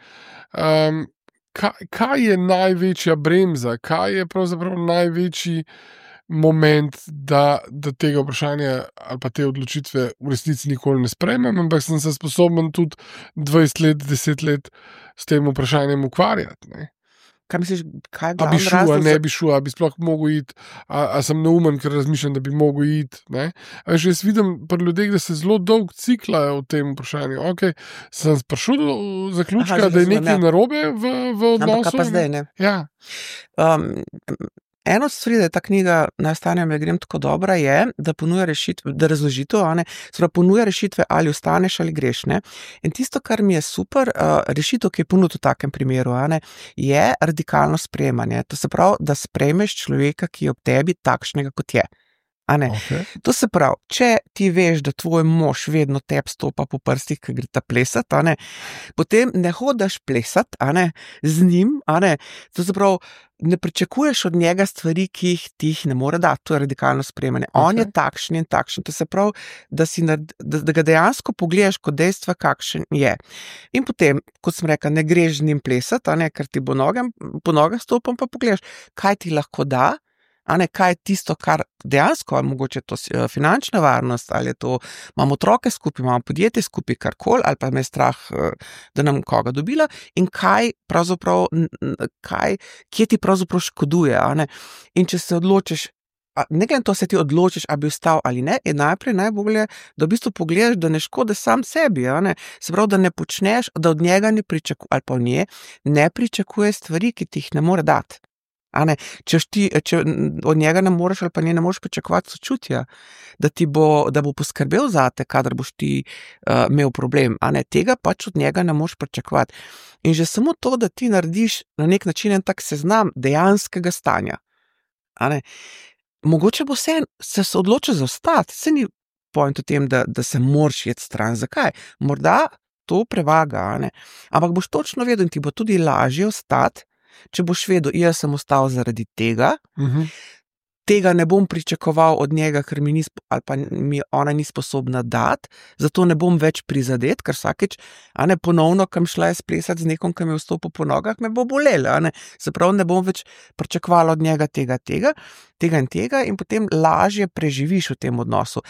S1: kaj je največja bremza, kaj je pravzaprav največji moment, da tega vprašanja ali pa te odločitve v resnici nikoli ne sprejmem, ampak sem se sposoben tudi 20 let, 10 let s tem vprašanjem ukvarjati, ne.
S2: Kaj misliš, kaj je
S1: A bi
S2: glavni
S1: šel, a
S2: razlog
S1: ne bi šel, a bi sploh mogel iti, a sem neumen, ker razmišljam, da bi mogel iti, ne. A veš, jaz vidim pri ljudeh, da se zelo dolgo ciklajo v tem vprašanju. Ok, sem prišel do zaključka, da je nekaj narobe v odnosu.
S2: Ampak pa zdaj, ne.
S1: Ja.
S2: Eno stvari, da je ta knjiga Naj ostanem, ne grem tako dobra, je, da ponuja rešitve, da razložitev, a ne, ponuja rešitve, ali ostaneš ali greš, ne. In tisto, kar mi je super, rešitev, ki je ponudil v takem primeru, a ne, je radikalno sprejemanje. To se pravi, da sprejmeš človeka, ki je ob tebi takšnega, kot je.
S1: Okay.
S2: To se pravi, če ti veš, da tvoj mož vedno teb stopa po prstih, ko gre ta plesat, potem ne hodiš plesat, z njim, to se pravi, ne pričakuješ od njega stvari, ki ti jih ne more dati, to je radikalno sprejemanje. On je takšen in takšen, to se pravi, da ga dejansko pogledaš kot dejstva, kakšen je. In potem, kot sem rekla, ne greš z njim plesat, ker ti po nogah stopam, pa pogledaš, kaj ti lahko da, kaj je tisto, kar dejansko, ali mogoče to finančna varnost, ali je to, imamo otroke skupaj, imamo podjetje skupaj, karkoli, ali pa me je strah, da nam koga dobila, in kaj pravzaprav, kje ti pravzaprav škoduje, In če se odločiš, ne glede na to, se ti odločiš, ali bi ostal ali ne, je najprej najbolje, da v bistvu pogledaš, da ne škodi sam sebi, Se pravi, da ne počneš, da od njega ne pričakuje, ali pa od nje ne pričakuje stvari, ki ti jih ne more dati. Če od njega ne moreš ali pa nje ne moreš pričakovati sočutja, da bo poskrbel zate, kadar boš ti imel problem, tega pač od njega ne moreš pričakovati. In že samo to, da ti narediš na nek način en tak seznam dejanskega stanja, mogoče bo se odločil za ostati, se ni point v tem, da se moraš iti stran. Zakaj? Morda to prevaga, ampak boš točno vedel in ti bo tudi lažje ostati, če boš vedel, jaz sem ostal zaradi tega, tega ne bom pričakoval od njega, ker ali pa mi ona ni sposobna dati, zato ne bom več prizadet, ker vsakeč, ponovno, kam šla je splesati z nekom, ki me vstopil po nogah, me bo bolelo, Se pravi, ne bom več pričakovala od njega tega in tega in potem lažje preživiš v tem odnosu.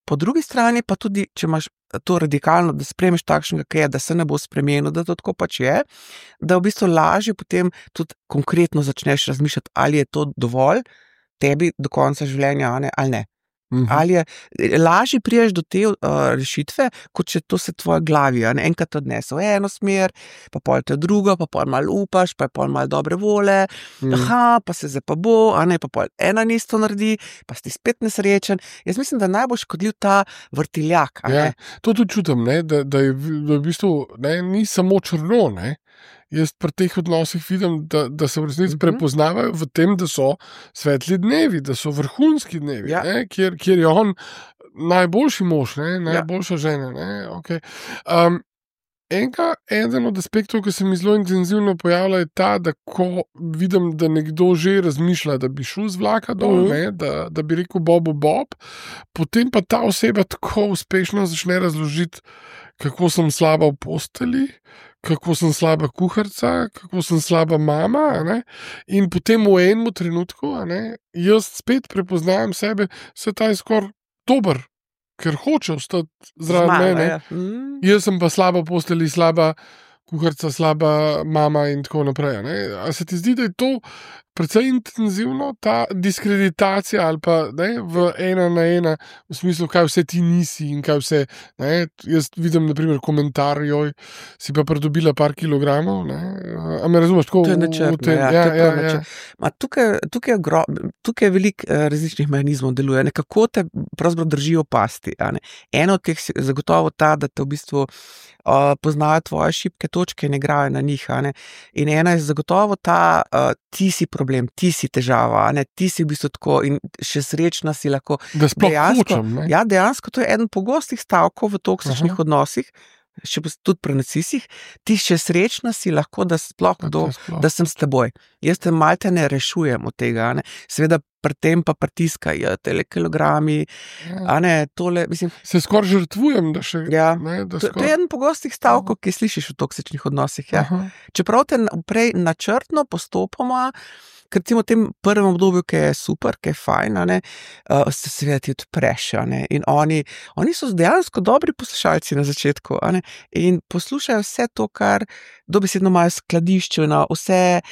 S2: Po drugi strani pa tudi, če imaš to radikalno, da spremeš takšnega, kaj je, da se ne bo spremenil, da to tako pač je, da v bistvu lažje potem tudi konkretno začneš razmišljati, ali je to dovolj tebi do konca življenja, ali ne. Ali je lažje priješ do te rešitve, kot če to se tvoje glavi, enkrat odnese v eno smer, pa pol te drugo, pa pol malo upaš, pa je pol malo dobre vole, pa se zdaj pa bo, pa pol ena isto naredi, pa si spet nesrečen. Jaz mislim, da najbolj škodljiv ta vrtiljak.
S1: Ja, to tudi čutim, da je v bistvu ni samo črno, Jaz pri teh odnosih vidim, da se v resnici prepoznavajo v tem, da so svetli dnevi, da so vrhunski dnevi, kjer je on najboljši mož, najboljša žena. Okay. Eden od aspektov, ki se mi zelo intenzivno pojavlja, je ta, da ko vidim, da nekdo že razmišlja, da bi šel z vlaka dol, da bi rekel Bob, potem pa ta oseba tako uspešno začne razložiti, kako sem slaba v posteli, kako sem slaba kuharica, kako sem slaba mama, in potem v enem trenutku, jaz spet prepoznam sebe, se ta je skoraj dober, ker hoče ostati zraven mene. Jaz sem pa slaba v posteli, slaba kuharica, slaba mama in tako naprej. A se ti zdi, da je to precej intenzivno, ta diskreditacija ali pa v ena na ena, v smislu, kaj vse ti nisi in kaj vse. Jaz vidim, naprimer, komentar, joj, si pa pridobila par kilogramov. A me razumeš? Tako,
S2: to je načrtno. Tukaj je veliko različnih mehanizmov deluje, kako te pravzaprav držijo pasti. Eno od teh je zagotovo ta, da te v bistvu poznajo tvoje šibke točke in igrajo na njih. In ena je zagotovo ta, ti si problem, ti si težava, ti si v bistvu tako in še srečna si lahko.
S1: Da sploh hočem.
S2: Ja, dejansko to je eden pogostih stavkov v toksičnih odnosih, še tudi pri narcisih, ti še srečna si lahko, da sploh da sem s teboj. Jaz te malte ne rešujem od tega, Seveda pri tem pa pritiskajo tele kilogrami, tole, mislim.
S1: Se skoraj žrtvujem, da še.
S2: Ja, to je eden pogostih stavkov, ki slišiš v toksičnih odnosih, Čeprav te prej načrtno postopoma, ker v tem prvem obdobju, ki je super, ki je fajn, se seveda ti odpreš, in oni so dejansko dobri poslušalci na začetku, in poslušajo vse to, kar dobesedno imajo skladišče, na vse,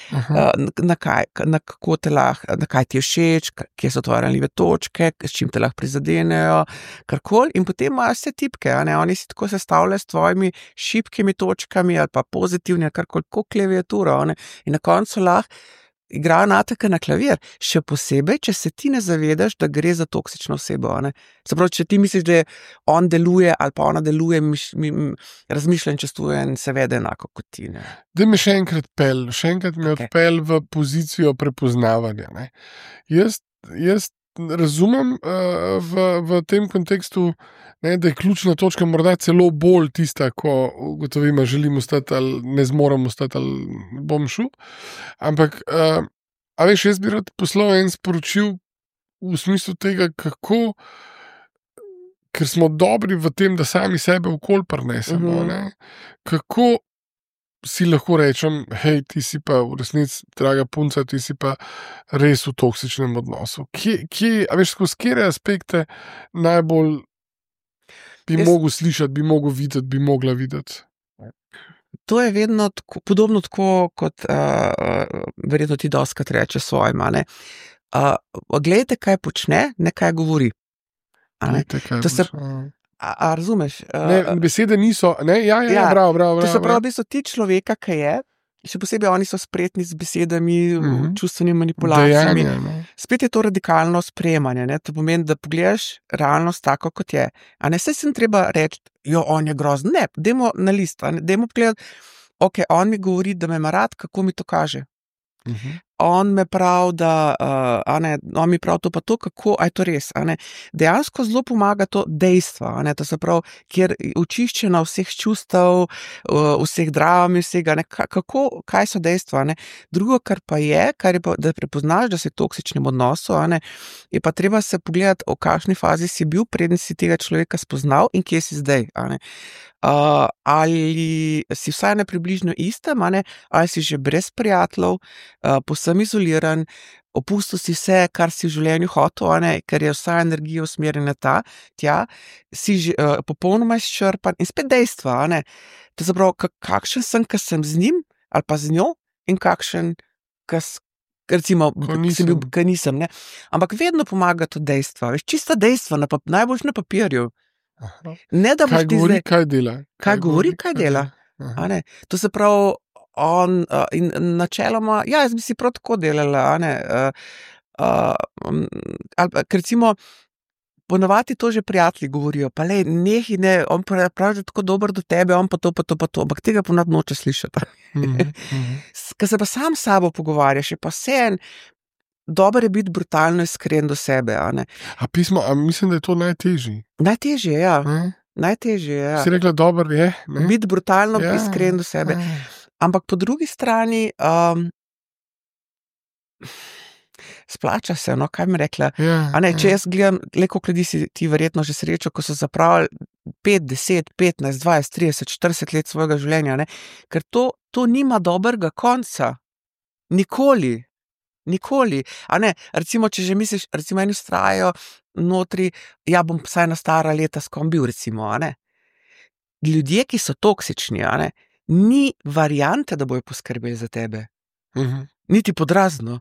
S2: na kaj ti je všeč, kje so tvoje ranljive točke, s čim te lahko prizadenejo, karkoli, in potem imajo vse tipke, oni si tako sestavljajo s tvojimi šibkimi točkami ali pa pozitivni, ali karkoli, kot klaviaturo, in na koncu lahko igrajo nateke na klavir, še posebej, če se ti ne zavedaš, da gre za toksično osebo. Se pravi, če ti misliš, da on deluje ali pa ona deluje, razmišlja in čustuje in se vede enako kot ti.
S1: Daj me še enkrat me odpelj v pozicijo prepoznavanja. Jaz razumem v tem kontekstu, ne, da je ključna točka morda celo bolj tista, ko ugotovimo, želim ostati ali ne zmorem ostati ali bom šel. Ampak, a veš, jaz bi rad poslal en sporočil v smislu tega, kako, ker smo dobri v tem, da sami sebe okol prinesemo, ne, kako si lahko rečem, hej, ti si pa v resnici, draga punca, ti si pa res v toksičnem odnosu. A veš, skozi katere aspekte najbolj bi mogel slišati, bi mogel videti, bi mogla videti?
S2: To je vedno podobno tako, kot verjetno ti dostakrat reče svojima, ne. Glejte, kaj počne, ne kaj govori.
S1: Glejte, kaj počne.
S2: A razumeš?
S1: Besede niso, ne? Ja, bravo.
S2: To se pravi, v bistvu ti človeka, ki je, še posebej oni so spretni z besedami, čustvenimi manipulacijami. Spet je to radikalno sprejemanje, ne? To pomeni, da pogledaš realnost tako, kot je. A ne, saj sem treba reči, on je grozen. Ne, dajmo na list, dajmo pogledati, ok, on mi govori, da me ima rad, kako mi to kaže. On me pravi, da on mi pravi to pa to, kako, a je to res, a ne. Dejansko zelo pomaga to dejstvo, a ne, to se pravi, kjer očiščena vseh čustev, vseh dram in vsega, ne, kaj so dejstva, ne. Drugo, kar je pa, da prepoznaš, da si v toksičnem odnosu, a ne, je pa treba se pogledati, v kakšni fazi si bil, preden si tega človeka spoznal in kje si zdaj, a ne. Ali si vsaj ne približno istem, a ne, ali si že brez prijateljev, povsem izoliran, opustil si vse, kar si v življenju hotel, a ne, ker je vsa energija usmerjena tja, si že popolnoma izčrpan in spet dejstva, a ne. To se pravi, kakšen sem, ko sem z njim ali pa z njo in kakšen, recimo, ko nisem, ne. Ampak vedno pomaga to dejstva, veš, čista dejstva, najboljš na papirju. Ne, da boš ti zdaj...
S1: Kaj dela?
S2: Kaj govori, kaj dela. A ne. To se pravi, on in načeloma, jaz bi si prav tako delala, a ne. Ker recimo, ponovadi to že prijatelji govorijo, pa lej, nehi, ne, on pravi, da tako dober do tebe, on pa to, ampak tega ponad noče slišati. Ko se pa sam s sabo pogovarjaš, je pa vseeno, dobro je biti brutalno iskren do sebe, a ne.
S1: A mislim, da je to najtežji.
S2: Najtežje, ja. Najtežje, ja.
S1: Si rekla, dobro je, ne?
S2: Biti brutalno iskren do sebe. Ampak po drugi strani, splača se, no, kaj mi rekla. A ne, če jaz gledam, koliko ljudi si ti verjetno že srečo, ko so zapravili 5, 10, 15, 20, 30, 40 let svojega življenja, ne. Ker to nima dobrega konca. Nikoli. A ne, recimo, če že misliš, recimo eni vztrajajo notri, bom vsaj na stara leta s kom bil, recimo, a ne. Ljudje, ki so toksični, a ne, ni variante, da bojo poskrbeli za tebe. Niti podrazno.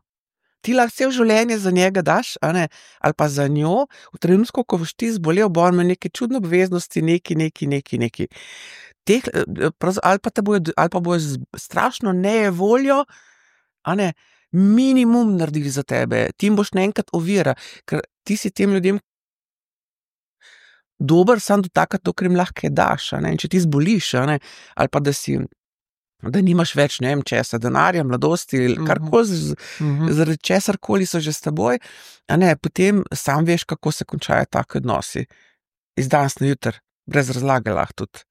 S2: Ti lahko cel življenje za njega daš, a ne, ali pa za njo, v trenutku, ko boš ti zbolel, bo on imel neke čudne obveznosti, neki. Ali pa bojo strašno nejevoljo, a ne, minimum naredili za tebe, ti jim boš naenkrat ovira, ker ti si tem ljudem dober samo do takrat, dokler jim lahko daš, a ne, in če ti zboliš, a ne, ali pa da nimaš več, ne vem česa, denarja, mladosti, karkoli, zaradi česarkoli so že s teboj, a ne, potem sam veš, kako se končajo taki odnosi. Iz danes na jutri, brez razlage lahko tudi.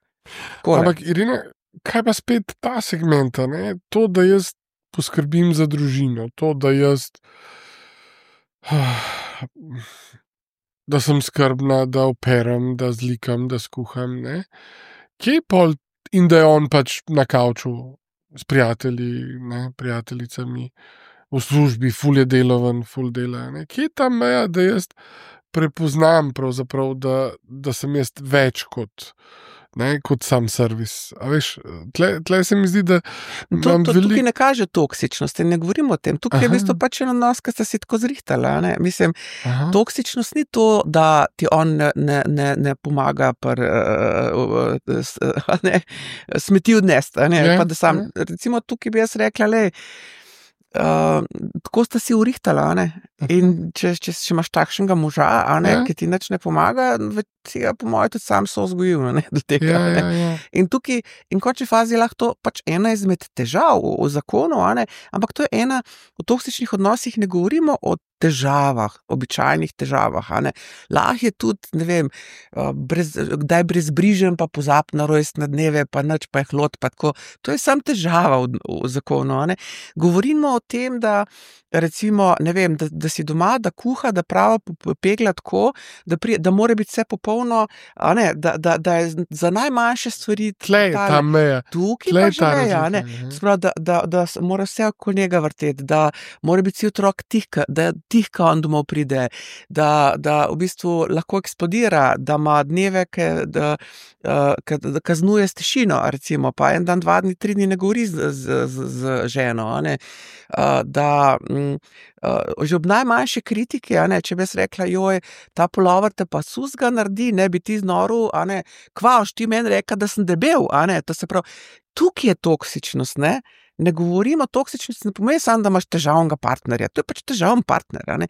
S1: Ampak, Irina, kaj pa spet ta segmenta, ne, to, da jaz poskrbim za družino, to, da jaz da sem skrbna, da operem, da zlikam, da skuham, ne. Kje pol, in da je on pač na kavču s prijatelji, ne, prijateljicami, v službi, ful je deloven, ful dela, ne. Kje je ta meja, da jaz prepoznam pravzaprav, da sem jaz več kot sam servis. A veš, tle se mi zdi, da imam
S2: tukaj ne kaže toksičnosti, ne govorimo o tem. Tukaj je v bistvu pač en odnos, ki sta si tako zrihtala, ne. Mislim, toksičnost ni to, da ti on ne pomaga smeti odnesti, a ne, pa da sam, recimo tukaj bi jaz rekla, tako sta si urihtala, a ne. In če imaš takšnega moža, ki ti nič ne pomaga, si ga po mojem tudi sam so vzgojil, do tega.
S1: Ja.
S2: In tukaj, in končni fazi lahko to pač ena izmed težav v zakonu, ampak to je ena, v toksičnih odnosih ne govorimo o težavah, običajnih težavah, Lahko je tudi, ne vem, kdaj brezbrižen, pa pozab na rojstne dneve, pa nič, pa je hlod, pa tako. To je samo težava v zakonu, Govorimo o tem, da recimo, ne vem, da si doma, da kuha, da prava pegla tako, da mora biti vse popolno, da je za najmanjše stvari
S1: Tlej ta meja.
S2: Tukaj pa že meja, Sprav, da mora vse okoli njega vrteti, da mora biti si otrok tihka on domov pride, da v bistvu lahko eksplodira, da ima dneve, da kaznuje s tišino, recimo, pa en dan, 2 dni, 3 dni ne govori z ženo, da že ob najmanjše kritike, če bi jaz rekla, joj, ta pulover te pa susga naredi, ne bi ti znoril, kvaš, ti meni reka, da sem debel, to se pravi, tukaj je toksičnost, ne govorimo o toksičnosti, ne pomeni samo, da imaš težavnega partnerja, to je pač težaven partner,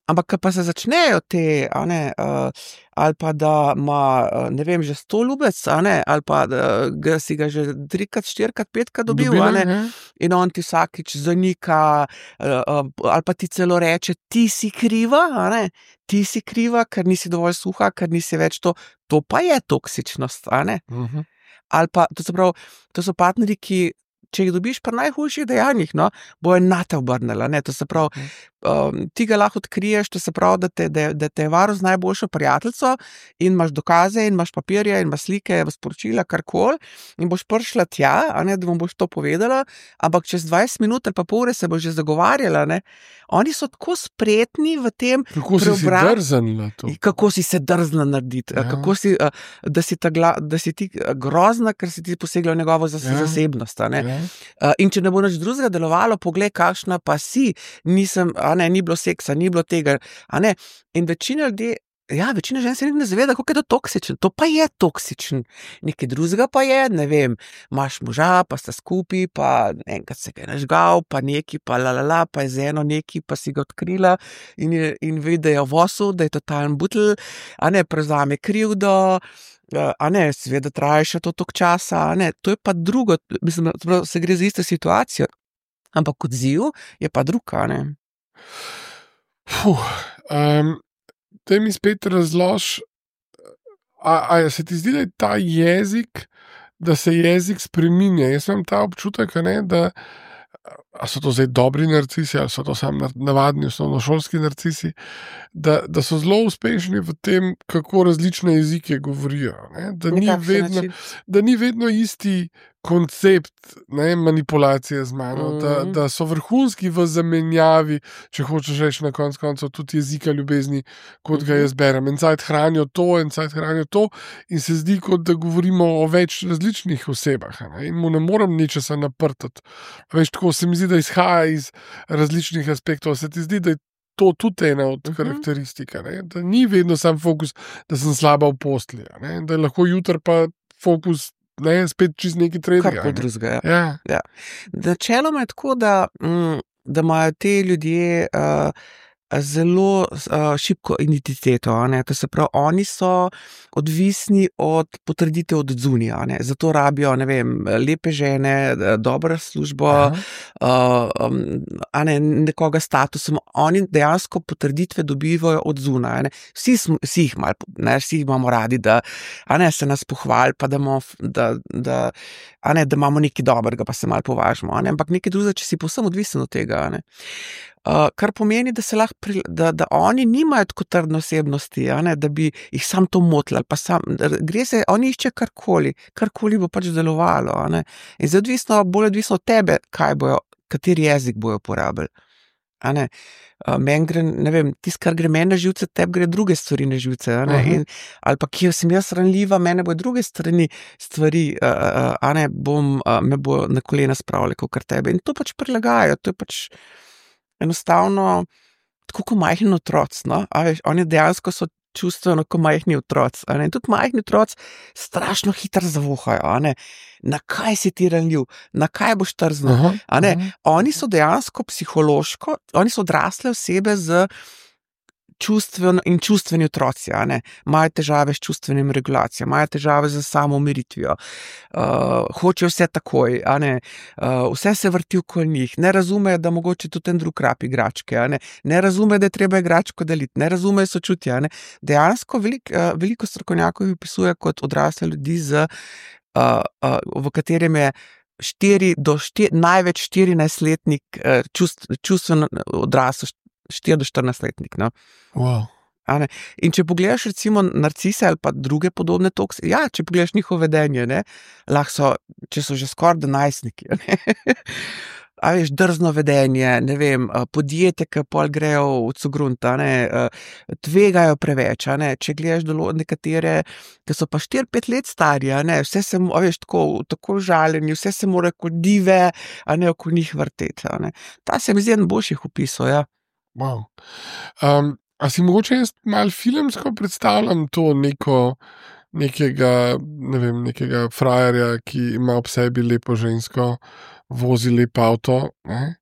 S2: Ampak, ko pa se začnejo te, ali pa da ima, ne vem, že 100 ljubec, ali pa da si ga že 3-krat, 4-krat, 5-krat dobil, in on ti vsakič zanika, ali pa ti celo reče, ti si kriva, ti si kriva, ker nisi dovolj suha, ker nisi več to pa je toksičnost, Ali pa, to se pravi, to so partnerji, ki če jih dobiš pri najhujših dejanjih, bojo nate obrnili, to se pravi, ti ga lahko odkriješ, to se pravi, da te je varuh z najboljšo prijateljico in imaš dokaze in imaš papirje in imaš slike, sporočila, karkoli in boš prišla tja, da vam boš to povedala, ampak čez 20 minut ali pa pol ure se bo že zagovarjala, Oni so tako spretni v tem kako si se drznila narediti, kako si, da si ti grozna, ker si ti posegla v njegovo zasebnost, In če ne bo nič drugega delovalo, poglej, kakšna pa si, ni bilo seksa, ni bilo tega, In večina ljudi, večina žen se ne zaveda, kako je to toksično, to pa je toksično. Nekaj drugega pa je, ne vem, imaš moža, pa sta skupaj, pa enkrat se ga je nažgal, pa neki, pa pa je z eno neki, pa si ga odkrila in vidi, da je v vosu, da je totalen butl, prevzame krivdo, seveda traja še to toliko časa, to je pa drugo, mislim, se gre za isto situacijo, ampak odziv je pa drug,
S1: Daj mi spet razlož, a se ti zdi, da je ta jezik, da se jezik spreminja? Jaz imam ta občutek, da a so to zdaj dobri narcisi, ali so to samo navadni osnovnošolski narcisi, da so zelo uspešni v tem, kako različne jezike govorijo. Da ni vedno isti koncept manipulacije z mano, da so vrhunski v zamenjavi, če hočeš reči na koncu koncev, tudi jezika ljubezni, kot ga jaz berem. En cajt hranijo to in se zdi, kot da govorimo o več različnih osebah, in mu ne morem ničesa naprtati. Veš, tako se mi zdi, da izhaja iz različnih aspektov. Se ti zdi, da je to tudi ena od karakteristik, da ni vedno sam fokus, da sem slaba v postelji, da je lahko jutri pa fokus spet čist neki tretjega.
S2: Karkoli drugega, ja. Načeloma je tako, da imajo te ljudje zelo šibko identiteto, to se pravi, oni so odvisni od potrditev od zunija, zato rabijo, ne vem, lepe žene, dobro službo, nekoga statusom, oni dejansko potrditve dobivajo od zunaj, vsi jih malo, vsi jih imamo radi, da se nas pohvali, pa da imamo nekaj dobrega, pa se malo považimo, ampak nekaj drugega, če si povsem odvisen od tega, kar pomeni, da se lahko da oni nimajo tako trdne osebnosti, da bi jih sam to motili, pa gre se, oni išče karkoli bo pač delovalo, in zdaj bolj odvisno od tebe, kateri jezik bojo uporabili. Meni gre, ne vem, kar gre meni na živce, tebi gre druge stvari na živce, ali pa kjer sem jaz ranljiva, mene bo druge stvari, me bo na kolena spravljali, kot tebe, in to pač prilagajajo, to je pač enostavno, tako kot majhni otroci, oni dejansko so čustveno kot majhni otroci, in tudi majhni otroci strašno hitro zavohajo, na kaj si ti ranljiv, na kaj boš trznil.
S1: Aha,
S2: A ne?
S1: aha.
S2: Oni so dejansko psihološko, oni so odrasle osebe z čustveni otroci, a ne, imajo težave s čustvenim regulacijo, imajo težave z samoumiritvijo, hočejo vse takoj, a ne, vse se vrti okoli njih, ne razumejo, da mogoče tudi en drug rab igračke, a ne razumejo, da je treba igračko deliti, ne razumejo sočutja, a ne. Dejansko veliko strokovnjakov jih opisuje kot odrasle ljudi v katerem je največ 14-letnik čustveno odrasel, 4 do 14-letnik, no.
S1: Wow.
S2: A ne. In če pogledaš recimo narcise ali pa druge podobne če pogledaš njihovo vedenje, ne, lahko so, če so že skoraj najstniki, a ne. A veš, drzno vedenje, ne vem, podjetje, ki pol grejo v cugrunt, a ne, tvegajo preveč, a ne, če gledaš nekatere, ki so pa 4-5 let stari, a ne, vse se, a veš, tako žaljeni, vse se mora kot dive, a ne, okoli njih vrteti, a ne. Ta se mi zdi en boljših opisov, ja.
S1: Wow. A si mogoče jaz malo filmsko predstavljam to nekega, ne vem, nekega frajerja, ki ima ob sebi lepo žensko, vozi lep avto, ne?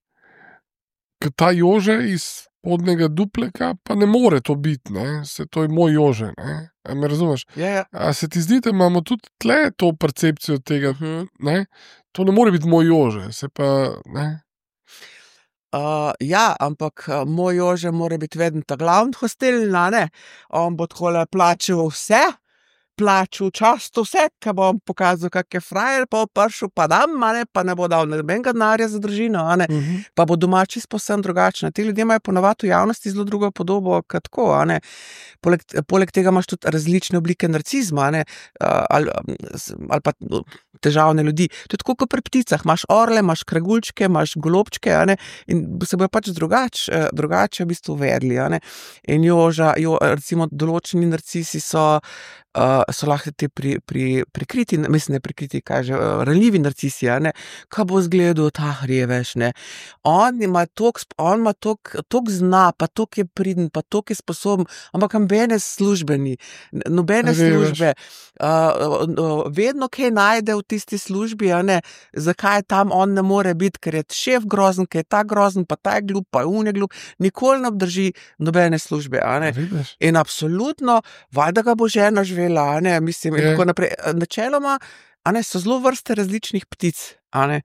S1: Ker ta Jože iz spodnjega dupleka pa ne more to biti, ne? To je moj Jože, ne? A me razumeš?
S2: Ja.
S1: A se ti zdi, da imamo tudi tle to percepcijo tega, ne? To ne more biti moj Jože, se pa, ne?
S2: Ja, ampak moj Jože mora biti vedno ta glavni hostelin, a ne, on bo takole plačal vse, plačal často vse, ka bo on pokazal, kak je frajer, pa bo prišel, pa dam, a ne, pa ne bo dal nobenega denarja za družino, a ne, pa bo doma čisto povsem drugačna. Ti ljudje imajo ponavadi v javnosti zelo drugo podobo, kot tako, a ne. Poleg tega imaš tudi različne oblike narcizma, a ne, ali pa težavne ljudi. To je tako kot pri pticah, imaš orle, imaš kraguljčke, imaš golobčke, a ne, in se bojo pač drugače v bistvu vedli, a ne. In recimo določeni narcisi so lahko te prikriti, mislim, ne prikriti, ranljivi narcisi, a ne, ka bo zgledal, veš, ne. On ima toliko zna, pa toliko je priden, pa toliko je sposoben, ampak nobene službe ni, nobene službe. Vedno kaj najde v tisti službi, a ne, zakaj tam on ne more biti, ker je šef grozen, ker je ta grozen, pa ta je glup, pa je glup, nikoli ne obdrži nobene službe, a ne. In absolutno, valjda ga bo žena živela, a ne, mislim, in tako naprej. Načeloma, a ne, so zelo vrste različnih ptic, a ne.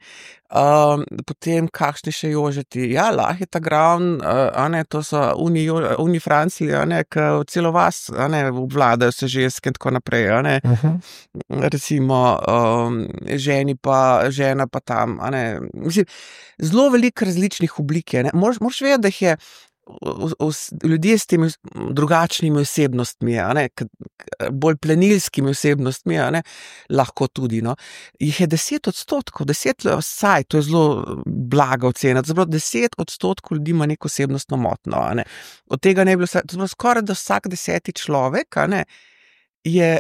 S2: Potem kakšni še jožeti, ja, lahko je ta gravn, a ne, to so oni Franciji, a ne, ki celo vas, a ne, obvladajo se ženske in tako naprej, a ne. Recimo, žena pa tam, a ne, mislim, zelo veliko različnih oblik je, ne, moraš vedeti, da jih je ljudje s temi drugačnimi osebnostmi, a ne, bolj plenilskimi osebnostmi, a ne, lahko tudi, no, jih je 10%, 10 vsaj, to je zelo blaga ocena, to 10% ljudi ima neko osebnostno motnjo, a ne, od tega ne bi bilo skoraj da vsak 10. človek, a ne, je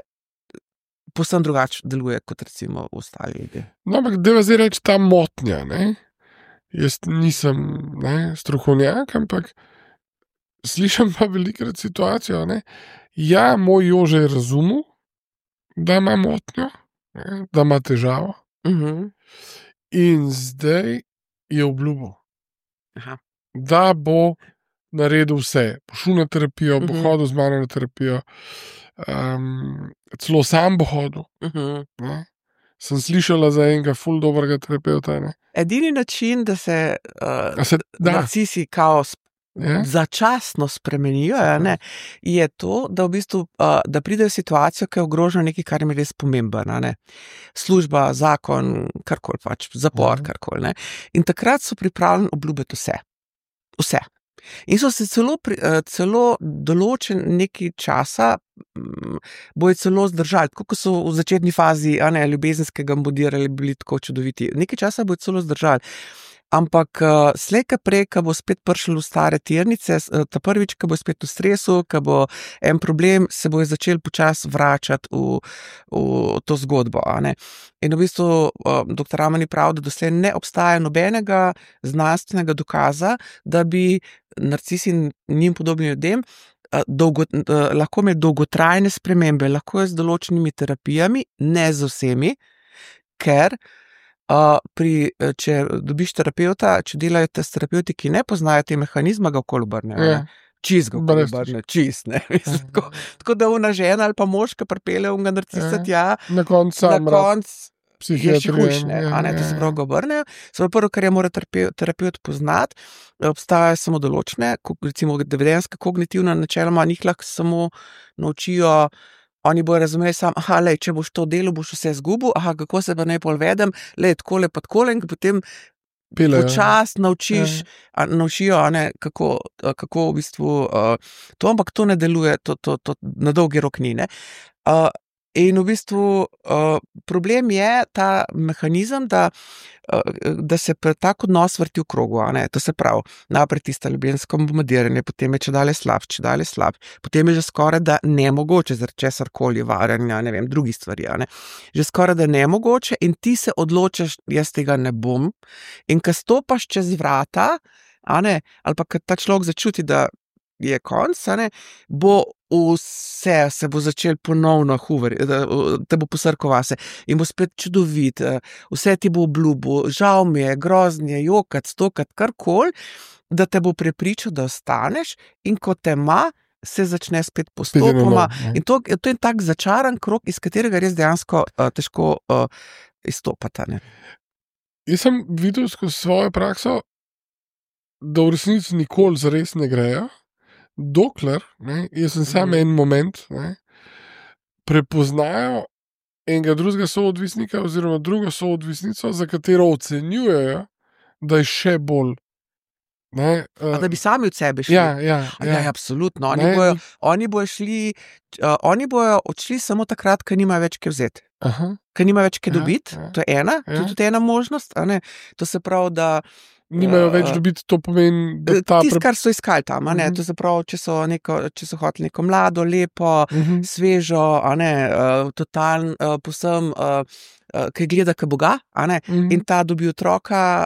S2: povsem drugače deluje kot recimo ostali ljudje. No,
S1: ampak deva zdaj reči ta motnja, ne, jaz nisem, ne, strokovnjak, ampak slišim pa velikrat situacijo, ne. Ja, moj Jože je razumel, da ima motnjo, ne, da ima težavo. In zdaj je obljubil, da bo naredil vse. Bo šel na terapijo, bo hodil z mano na terapijo, celo sam bo hodil. Ne. Sem slišala za enega ful dobrega terapeuta, ne.
S2: Edini način, da se narcisi kao začasno spremenijo, ne, je to, da v bistvu, da pridejo v situacijo, ki je ogrožena nekaj, kar jim je res pomembno, ne. Služba, zakon, karkoli pač, zapor, karkoli, ne. In takrat so pripravljeni obljubiti vse. Vse. In so se celo določen nekaj časa bojo celo zdržali, tako kot so v začetni fazi, a ne, ljubezenskega modirali, bili tako čudoviti. Nekaj časa bojo celo zdržali. Ampak slej ka prej, ko bo spet prišel v stare tirnice, ta prvič, ko bo spet v stresu, ko bo en problem, se bojo začeli počasi vračati v to zgodbo, a ne. In v bistvu doktor Ramani pravi, da doslej ne obstaja nobenega znanstvenega dokaza, da bi narcisi in njim podobni ljudem lahko imeli dolgotrajne spremembe, lahko je z določenimi terapijami, ne z vsemi, ker če dobiš terapeuta, če delajo s terapeuti, ki ne poznajo te mehanizma, ga okoli obrnejo.
S1: Ja.
S2: Čist ga okoli obrnejo, čist, ne. Mislim, tako da ona žena ali pa moška pripelje unga narcisa tja,
S1: Na koncu
S2: na koncu je še
S1: psihiatrije.
S2: hujš, ne, a ne, to se pravi ga obrnejo. Se pravi, prvo, kar je mora terapeut poznati, obstajajo samo določene, recimo vedenjska kognitivna načeloma, njih lahko samo naučijo. Oni bojo razumeli samo, lej, če boš to delal, boš vse zgubil, kako se pa najbolj vedem, lej, takole pa takole, in potem počas naučijo, a ne, kako v bistvu to, ampak to ne deluje, to na dolgi rok ni, ne. In v bistvu problem je ta mehanizem, da se tak odnos vrti v krogu, a ne, to se pravi, naprej tisto ljubezensko bombardiranje, potem je čedalje slab, potem je že skoraj da nemogoče, zaradi česarkoli, varanja, ne vem, drugih stvari, a ne, že skoraj da nemogoče in ti se odločiš, jaz tega ne bom, in ko stopaš čez vrata, a ne, ali pa ko ta človek začuti, da je konc, a ne, bo vse se bo začel ponovno te bo posrkal vase in bo spet čudovit, vse ti bo obljubil, žal mi je, groznje, jokat, stokat, karkoli, da te bo prepričal, da ostaneš, in ko te ima, se začne spet postopoma. In to je tak začaran krog, iz katerega res dejansko težko izstopati, ne.
S1: Jaz sem videl skozi svojo prakso, da v resnici nikoli zares ne grejo, dokler, ne, jaz sem sam en moment, ne, prepoznajo enega drugega soodvisnika oziroma drugo soodvisnico, za katero ocenjujejo, da je še bolj. Ne,
S2: da bi sami od sebe šli.
S1: Ja,
S2: absolutno. Oni bojo odšli samo takrat, ko nimajo več kaj vzeti. Ko nimajo več kaj dobiti, to je ena, to je tudi ena možnost, a ne. To se pravi, da
S1: nimajo več dobiti, to pomeni, da
S2: tisto, kar so iskali tam, a ne, to se pravi, če so hoteli neko mlado, lepo, svežo, a ne, totalno, povsem, ki gleda k Boga, a ne, in ta dobi otroka,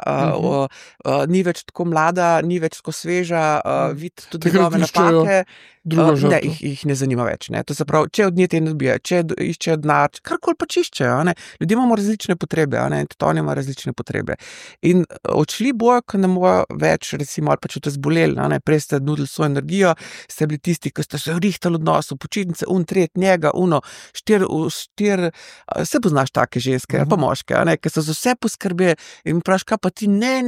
S2: ni več tako mlada, ni več tako sveža, vidi tudi njegove napake, ne, jih ne zanima več, ne, to se pravi, če od nje te ne dobijo, če iščejo denar, karkoli pač iščejo, a ne, ljudje imamo različne potrebe, a ne, in tudi oni imajo različne potrebe. In odšli bojo, ko ne mojo več, recimo, ali pa če te zboleli, a ne, prej ste nudili svojo energijo, ste bili tisti, ki ste se rihtali odnosu, počitnice, njega, štir, se poznaš take ženske, ali pa moške, a ne, ki so za vse poskrbeli in praviš, kaj pa ti, ne,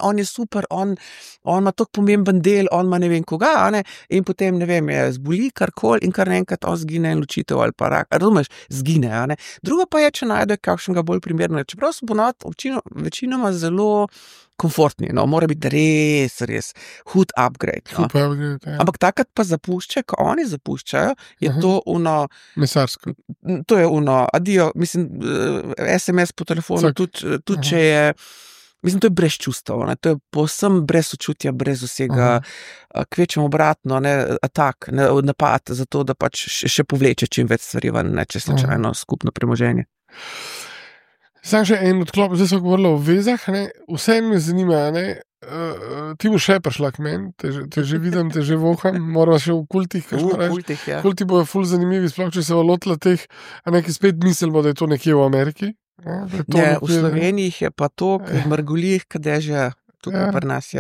S2: on je super, on ima tako pomemben del, on ima ne vem koga, a ne, in potem, ne vem, je zboli karkoli in kar naenkrat on zgine in ločitev ali pa rak, razumeš, zgine, a ne. Drugo pa je, če najde kakšnega bolj primernega, čeprav so ponovadi večinoma zelo komfortni, no, mora biti res hud upgrade, no. Ampak takrat pa zapuščajo, ko oni zapuščajo, je to
S1: mesarsko.
S2: To je adijo, mislim, SMS po telefonu, tudi če je, mislim, to je brez čustev, ne, to je povsem brez sočutja, brez vsega, kvečemo obratno, ne, napad, zato da pač še povleče čim več stvari ven, ne, če slučajno skupno premoženje.
S1: Sam še en odklop, zdaj smo govorili o vezah, ne, vse me zanima, ne, ti boš še prišla k meni, te že vidim, te že voham, moramo še v kultih,
S2: Ja.
S1: Kulti bojo ful zanimivi, sploh če se bo lotila teh, a neki spet mislimo, da je to nekje v Ameriki.
S2: Ne, v Sloveniji je pa to, mrgolih, kadeže tukaj pri nas,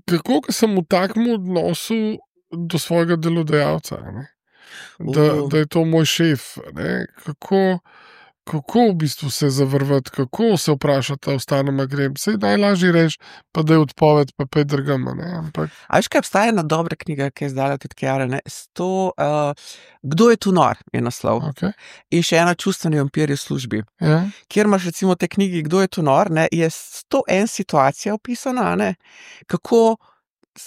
S1: kako sem v takem odnosu do svojega delodajalca, ne? Da je to moj šef, ne? Kako v bistvu se zavrvati, kako se vprašati, ostanem grem, saj najlažje reči, pa da je odpoved, pa pet drgam, ne, ampak.
S2: A veš, kaj obstaja ena dobra knjiga, ki je izdala tudi Kjara, ne, Kdo je tu nor, je naslov.
S1: Okay.
S2: In še ena Čustveni vampir v službi.
S1: Ja.
S2: Kjer imaš recimo te knjigi Kdo je tu nor, ne, je 101 situacija opisana, ne, kako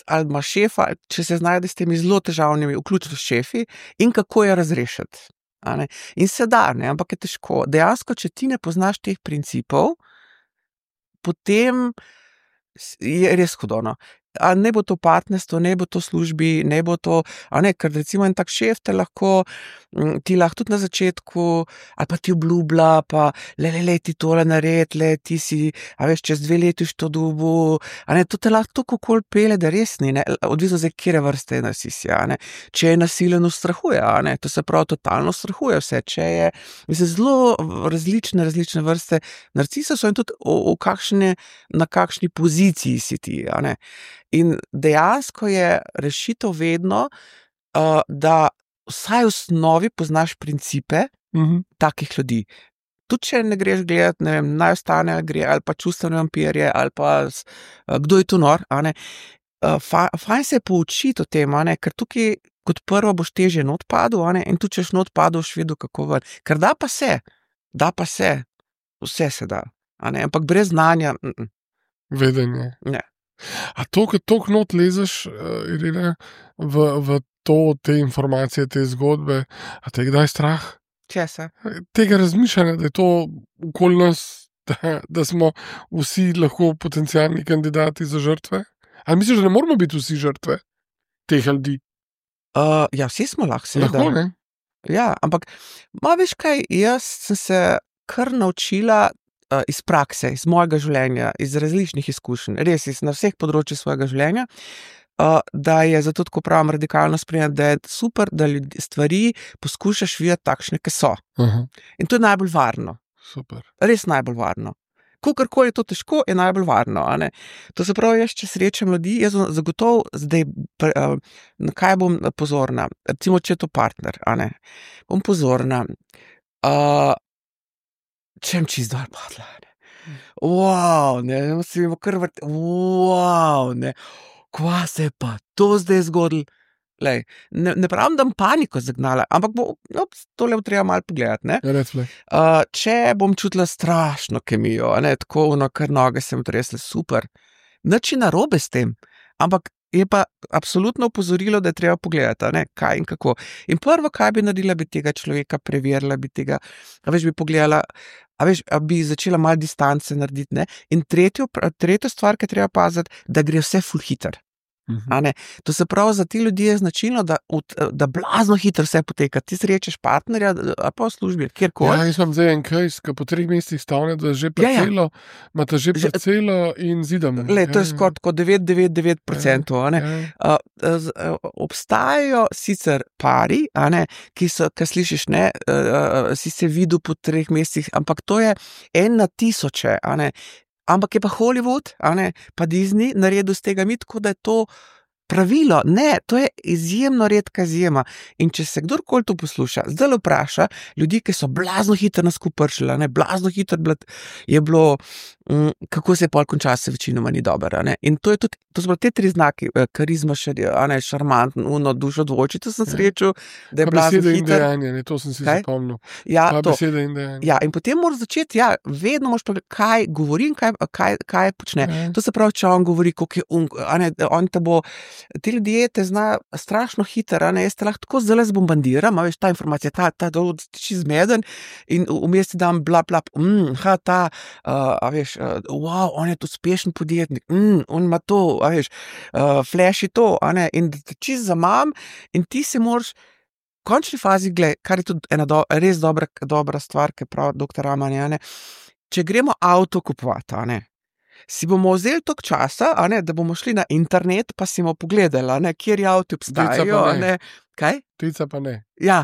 S2: ali ima šefa, če se znajde s temi zelo težavnimi, vključno s šefi, in kako jo razrešiti. A ne? In se da, ne, ampak je težko. Dejansko, če ti ne poznaš teh principov, potem je res hudo, no. ne bo to partnerstvo, ne bo to službi, ne bo to, ker recimo en tak šef ti lahko tudi na začetku, ali pa ti obljublja, pa ti tole naredi, ti si, čez 2 leti to dobu, to te lahko tako kol pele, da res ni, odvisno zdaj, kjere vrste je narcis, če je nasilen, ustrahuje, to se pravi, totalno ustrahuje vse, če je, zelo različne vrste narcisa so in tudi na kakšni poziciji si ti, in dejansko je rešitev vedno, da vsaj v osnovi poznaš principe takih ljudi. Tudi če ne greš gledati, ne vem, naj ostane ali pa čustvene vampirje, ali pa kdo je tu nor, fajn se je poučiti o tem, ker tukaj kot prvo boš težje not padel, in tudi če not padel, boš vedel, kako ven. Ker da pa se, vse se da, ampak brez znanja.
S1: Vedenje.
S2: Ne.
S1: A to, kad toliko not lezeš, Irina, v te informacije, te zgodbe, a te je kdaj strah?
S2: Česa?
S1: Tega razmišljanja, da je to okoli nas, da smo vsi lahko potencialni kandidati za žrtve? Ali misliš, da ne moramo biti vsi žrtve teh ljudi?
S2: Vsi smo lahko, seveda.
S1: Lahko, ne?
S2: Ja, ampak veš kaj, jaz sem se kar naučila iz prakse, iz mojega življenja, iz različnih izkušenj, res na vseh področjih svojega življenja, da je zato tako pravim radikalno sprejemati, da je super, da stvari poskušaš videti takšne, ki so. In to je najbolj varno.
S1: Super.
S2: Res najbolj varno. Kakorkoli je to težko, je najbolj varno. To se pravi, jaz če srečam ljudi, jaz bom zagotovo zdaj, na kaj bom pozorna. Recimo, če je to partner, bom pozorna. Če mi čisto dol padla. Wow, si mi bo kar vrti. Wow, kva se je pa to zdaj zgodilo? Ne pravim, da bom paniko zagnala, ampak tole bo treba malo pogledati. Če bom čutila strašno kemijo, tako kar noge se mi tresle, super. Nič je narobe s tem, ampak je pa absolutno opozorilo, da je treba pogledati, kaj in kako. In prvo, kaj bi naredila, bi tega človeka preverila, bi pogledala, bi začela malo distance narediti, in tretjo stvar, ki je treba paziti, da gre vse ful hiter. To se pravi, za te ljudi je značilno, da blazno hitro vse poteka. Ti srečeš partnerja, ali pa v službi, kjerkoli.
S1: Ja, jaz imam zdaj en case, ki po 3 mesecih stavne, da že parcelo, imate že parcelo in zidamo.
S2: To je skoraj tako 9,99%. Obstajajo sicer pari, ki slišiš, si se videl po 3 mesecih, ampak to je 1 na 1000, ampak je pa Hollywood, pa Disney naredil z tega tako, da je to pravilo. Ne, to je izjemno redka izjema. In če se kdorkoli to posluša, zdaj vpraša ljudi, ki so blazno hitro nas pršili, blazno hitro je bilo, kako se je pol končalo, se večinoma ni dobro. In to je tudi, to so te 3 znaki, karizma, šarmantn, dušo dvojčico sem srečal, da je blazno hitro.
S1: Besede in dejanje, to sem si zapomnil. Besede in dejanje.
S2: Ja, in potem moraš začeti, vedno moraš povedati, kaj govori in kaj počne. To se pravi, če on govori, koliko je on te bo, ti ljudje te znajo strašno hitro, jaz te lahko tako zelo zbombardiram, ta informacija, ta tiči zmeden in vmes ti dam bla, wow, on je to uspešen podjetnik, on ima to, flash je to, in čisto zamam in ti se moraš v končni fazi, kar je tudi ena res dobra stvar, ki pravi doktor Raman, če gremo avto kupovati, si bomo vzeli toliko časa, da bomo šli na internet, pa si bomo pogledali, kjer avti obstajajo. Kaj?
S1: Tica pa ne.
S2: Ja,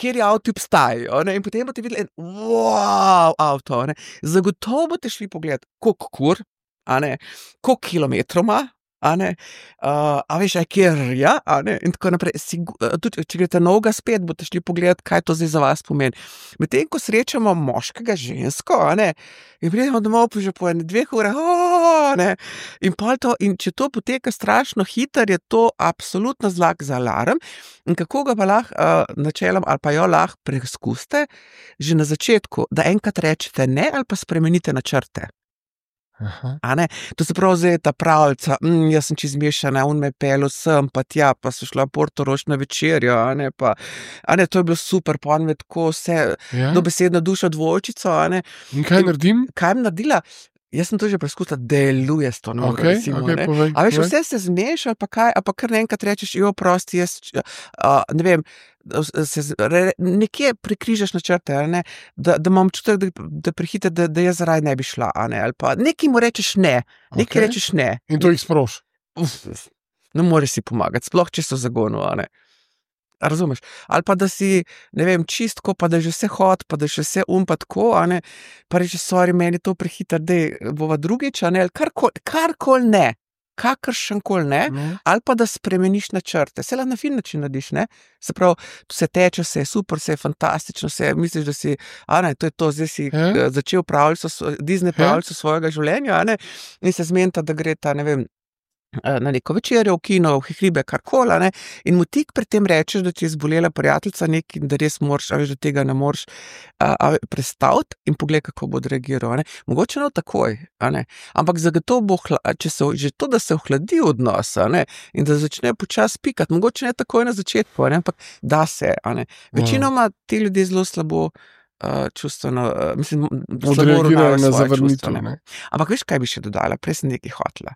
S2: kjer avti obstajajo. In potem boste videli wow, avto. Zagotovo boste šli pogledati, koliko kur, koliko kilometrov ima, kjer je, in tako naprej. Tudi, če greste novega spet, boste šli pogledati, kaj to zdaj za vas pomeni. Medtem, ko srečamo moškega, žensko, in pridemo domov že po 2 urah, in če to poteka strašno hitro, je to absolutno znak za alarm. In kako ga pa lahko načelom ali pa jo lahko preizkusite že na začetku, da enkrat rečete ne ali pa spremenite načrte. To se pravi, zdaj ta pravljica, jaz sem čisto zmešana, on me je pelil sem, pa tja, pa so šla v Portorož na večerjo, to je bilo super, pa on me tako vse dobesedno dušo dvojčico,
S1: In kaj naredim?
S2: Kaj jim naredila? Jaz sem to že preizkusila, deluje s to noro, recimo, ne.
S1: povej,
S2: A veš,
S1: povej.
S2: vse se zmeš ali pa kaj, ali pa kar naenkrat rečeš, prosti, jaz, ne vem, nekje prikrižaš načrte, ali ne, da imam občutek, da prehite, da jaz zaradi ne bi šla, a ne, ali pa nekaj mu rečeš ne, nekaj rečeš ne.
S1: In to jih sproš.
S2: Ne moreš si pomagati, sploh če so v zagonu, a ne. A razumeš? Ali pa da si, ne vem, čistko, pa da je že vse hod, pa da je še vse pa tako, a ne, pa reči, sorry, meni to prehiter, dej, bova drugič, a ne, ali karkoli ne, kakršenkoli ne, ali pa da spremeniš načrte, se lahko na fin način narediš, ne, se pravi, vse teče, vse je super, vse je fantastično, vse misliš, da si, a ne, to je to, zdaj si začel Disney pravljico svojega življenja, a ne, in se zmenita, da gre ta, ne vem, na neko večerjo, v kino, v hribe, karkoli, ne, in mu tik pred tem rečeš, da ti je zbolela prijateljica nekaj, da res moraš, a veš, da tega ne moreš prestaviti in poglej, kako bo odreagiral, ne. Mogoče ne takoj, a ne, ampak zagotovo bo, če se že to, da se ohladi odnos, a ne, in da začne počasi pikati, mogoče ne takoj na začetku, a ne, ampak da se, a ne. Večinoma ti ljudje zelo slabo čustveno, mislim,
S1: odreagirajo na zavrnitev, ne.
S2: Ampak veš, kaj bi še dodala, prej sem nekaj hotela.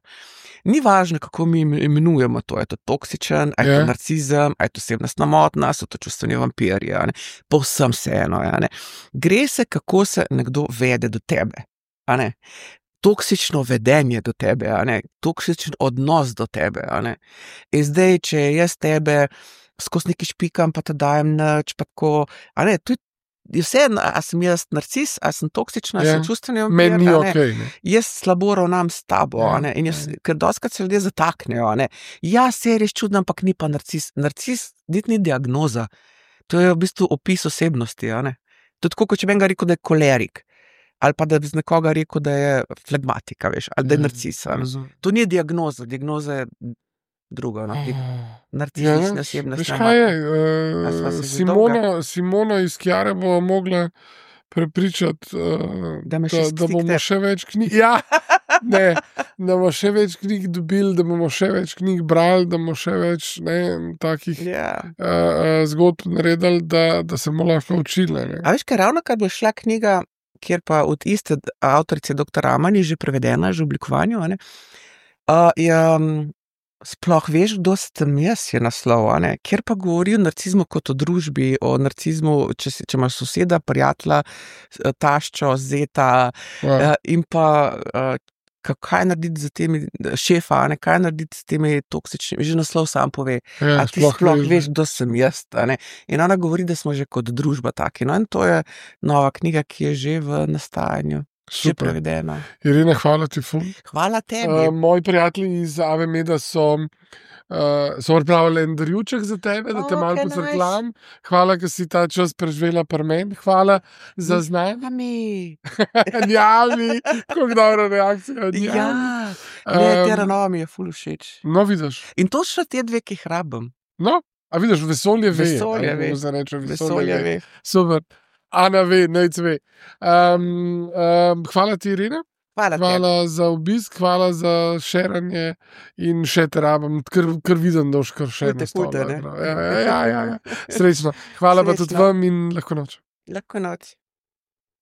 S2: Ni važno, kako mi imenujemo to, je to toksičen, a je to narcizem, a je to osebnostna motnja, so to čustveni vampirji, a ne, povsem vseeno, a ne. Gre se, kako se nekdo vede do tebe, a ne. Toksično vedenje do tebe, a ne, toksičen odnos do tebe, a ne. In zdaj, če jaz tebe skozi nekaj špikam, pa te dajem nič, pa tako, a ne, to je vse, a sem jaz narcis, a sem toksična, a sem čustveni vampir,
S1: meni ni okej, ne.
S2: Jaz slabo ravnam s tabo, a ne, in jaz, ker dostikrat se ljudje zataknejo, a ne, ja, se je res čudno, ampak ni pa narcis. Narcis niti ni diagnoza, to je v bistvu opis osebnosti, a ne. To je tako, kot če bi enega rekel, da je kolerik, ali pa da bi z nekoga rekel, da je flegmatika, veš, ali da je narcis, a ne. To ni diagnoza, diagnoza je drugo, no, narcistična osebnost.
S1: Veš kaj je, Simona iz Kjare bo mogla prepričati,
S2: da
S1: bomo še več knjig, ne, da bomo še več knjig dobili, da bomo še več knjig brali, da bomo še več, ne, takih zgodb naredili, da se bomo lahko učili, ne.
S2: A veš kaj, ravno kar bo šla knjiga, kjer pa od iste avtorice dr. Aman je že prevedena, že v oblikovanju, a ne, sploh veš, kdo sem jaz, je naslov, a ne, kjer pa govori o narcizmu kot o družbi, o narcizmu, če imaš soseda, prijatelja, taščo, zeta, in pa kaj narediti z temi šefa, a ne, kaj narediti s temi toksičnimi, že naslov sam pove, a ti sploh veš, kdo sem jaz, a ne, in ona govori, da smo že kot družba taki, no, in to je nova knjiga, ki je že v nastajanju. Že prevedena.
S1: Irena, hvala ti ful.
S2: Hvala tebi.
S1: Moji prijatelji iz Ave Meda so pripravili en darjuček za tebe, da te malo pocrklam. Hvala, ker si ta čas preživela pri meni. Hvala za znanje. Njavi. Kako dobra reakcija.
S2: Ja, tera nova mi je ful všeč.
S1: No, vidiš.
S2: In to še te dve, ki jih rabim.
S1: No, a vidiš, vesolje ve.
S2: Vesolje ve.
S1: Super. Ana ve, nec ve. Hvala ti, Irena. Hvala za obisk, hvala za šeranje in še te rabim, ker vidim, da boš kar še nastavljala. Ja. Srečno. Hvala pa tudi vam in lahko noč.
S2: Lahko noč.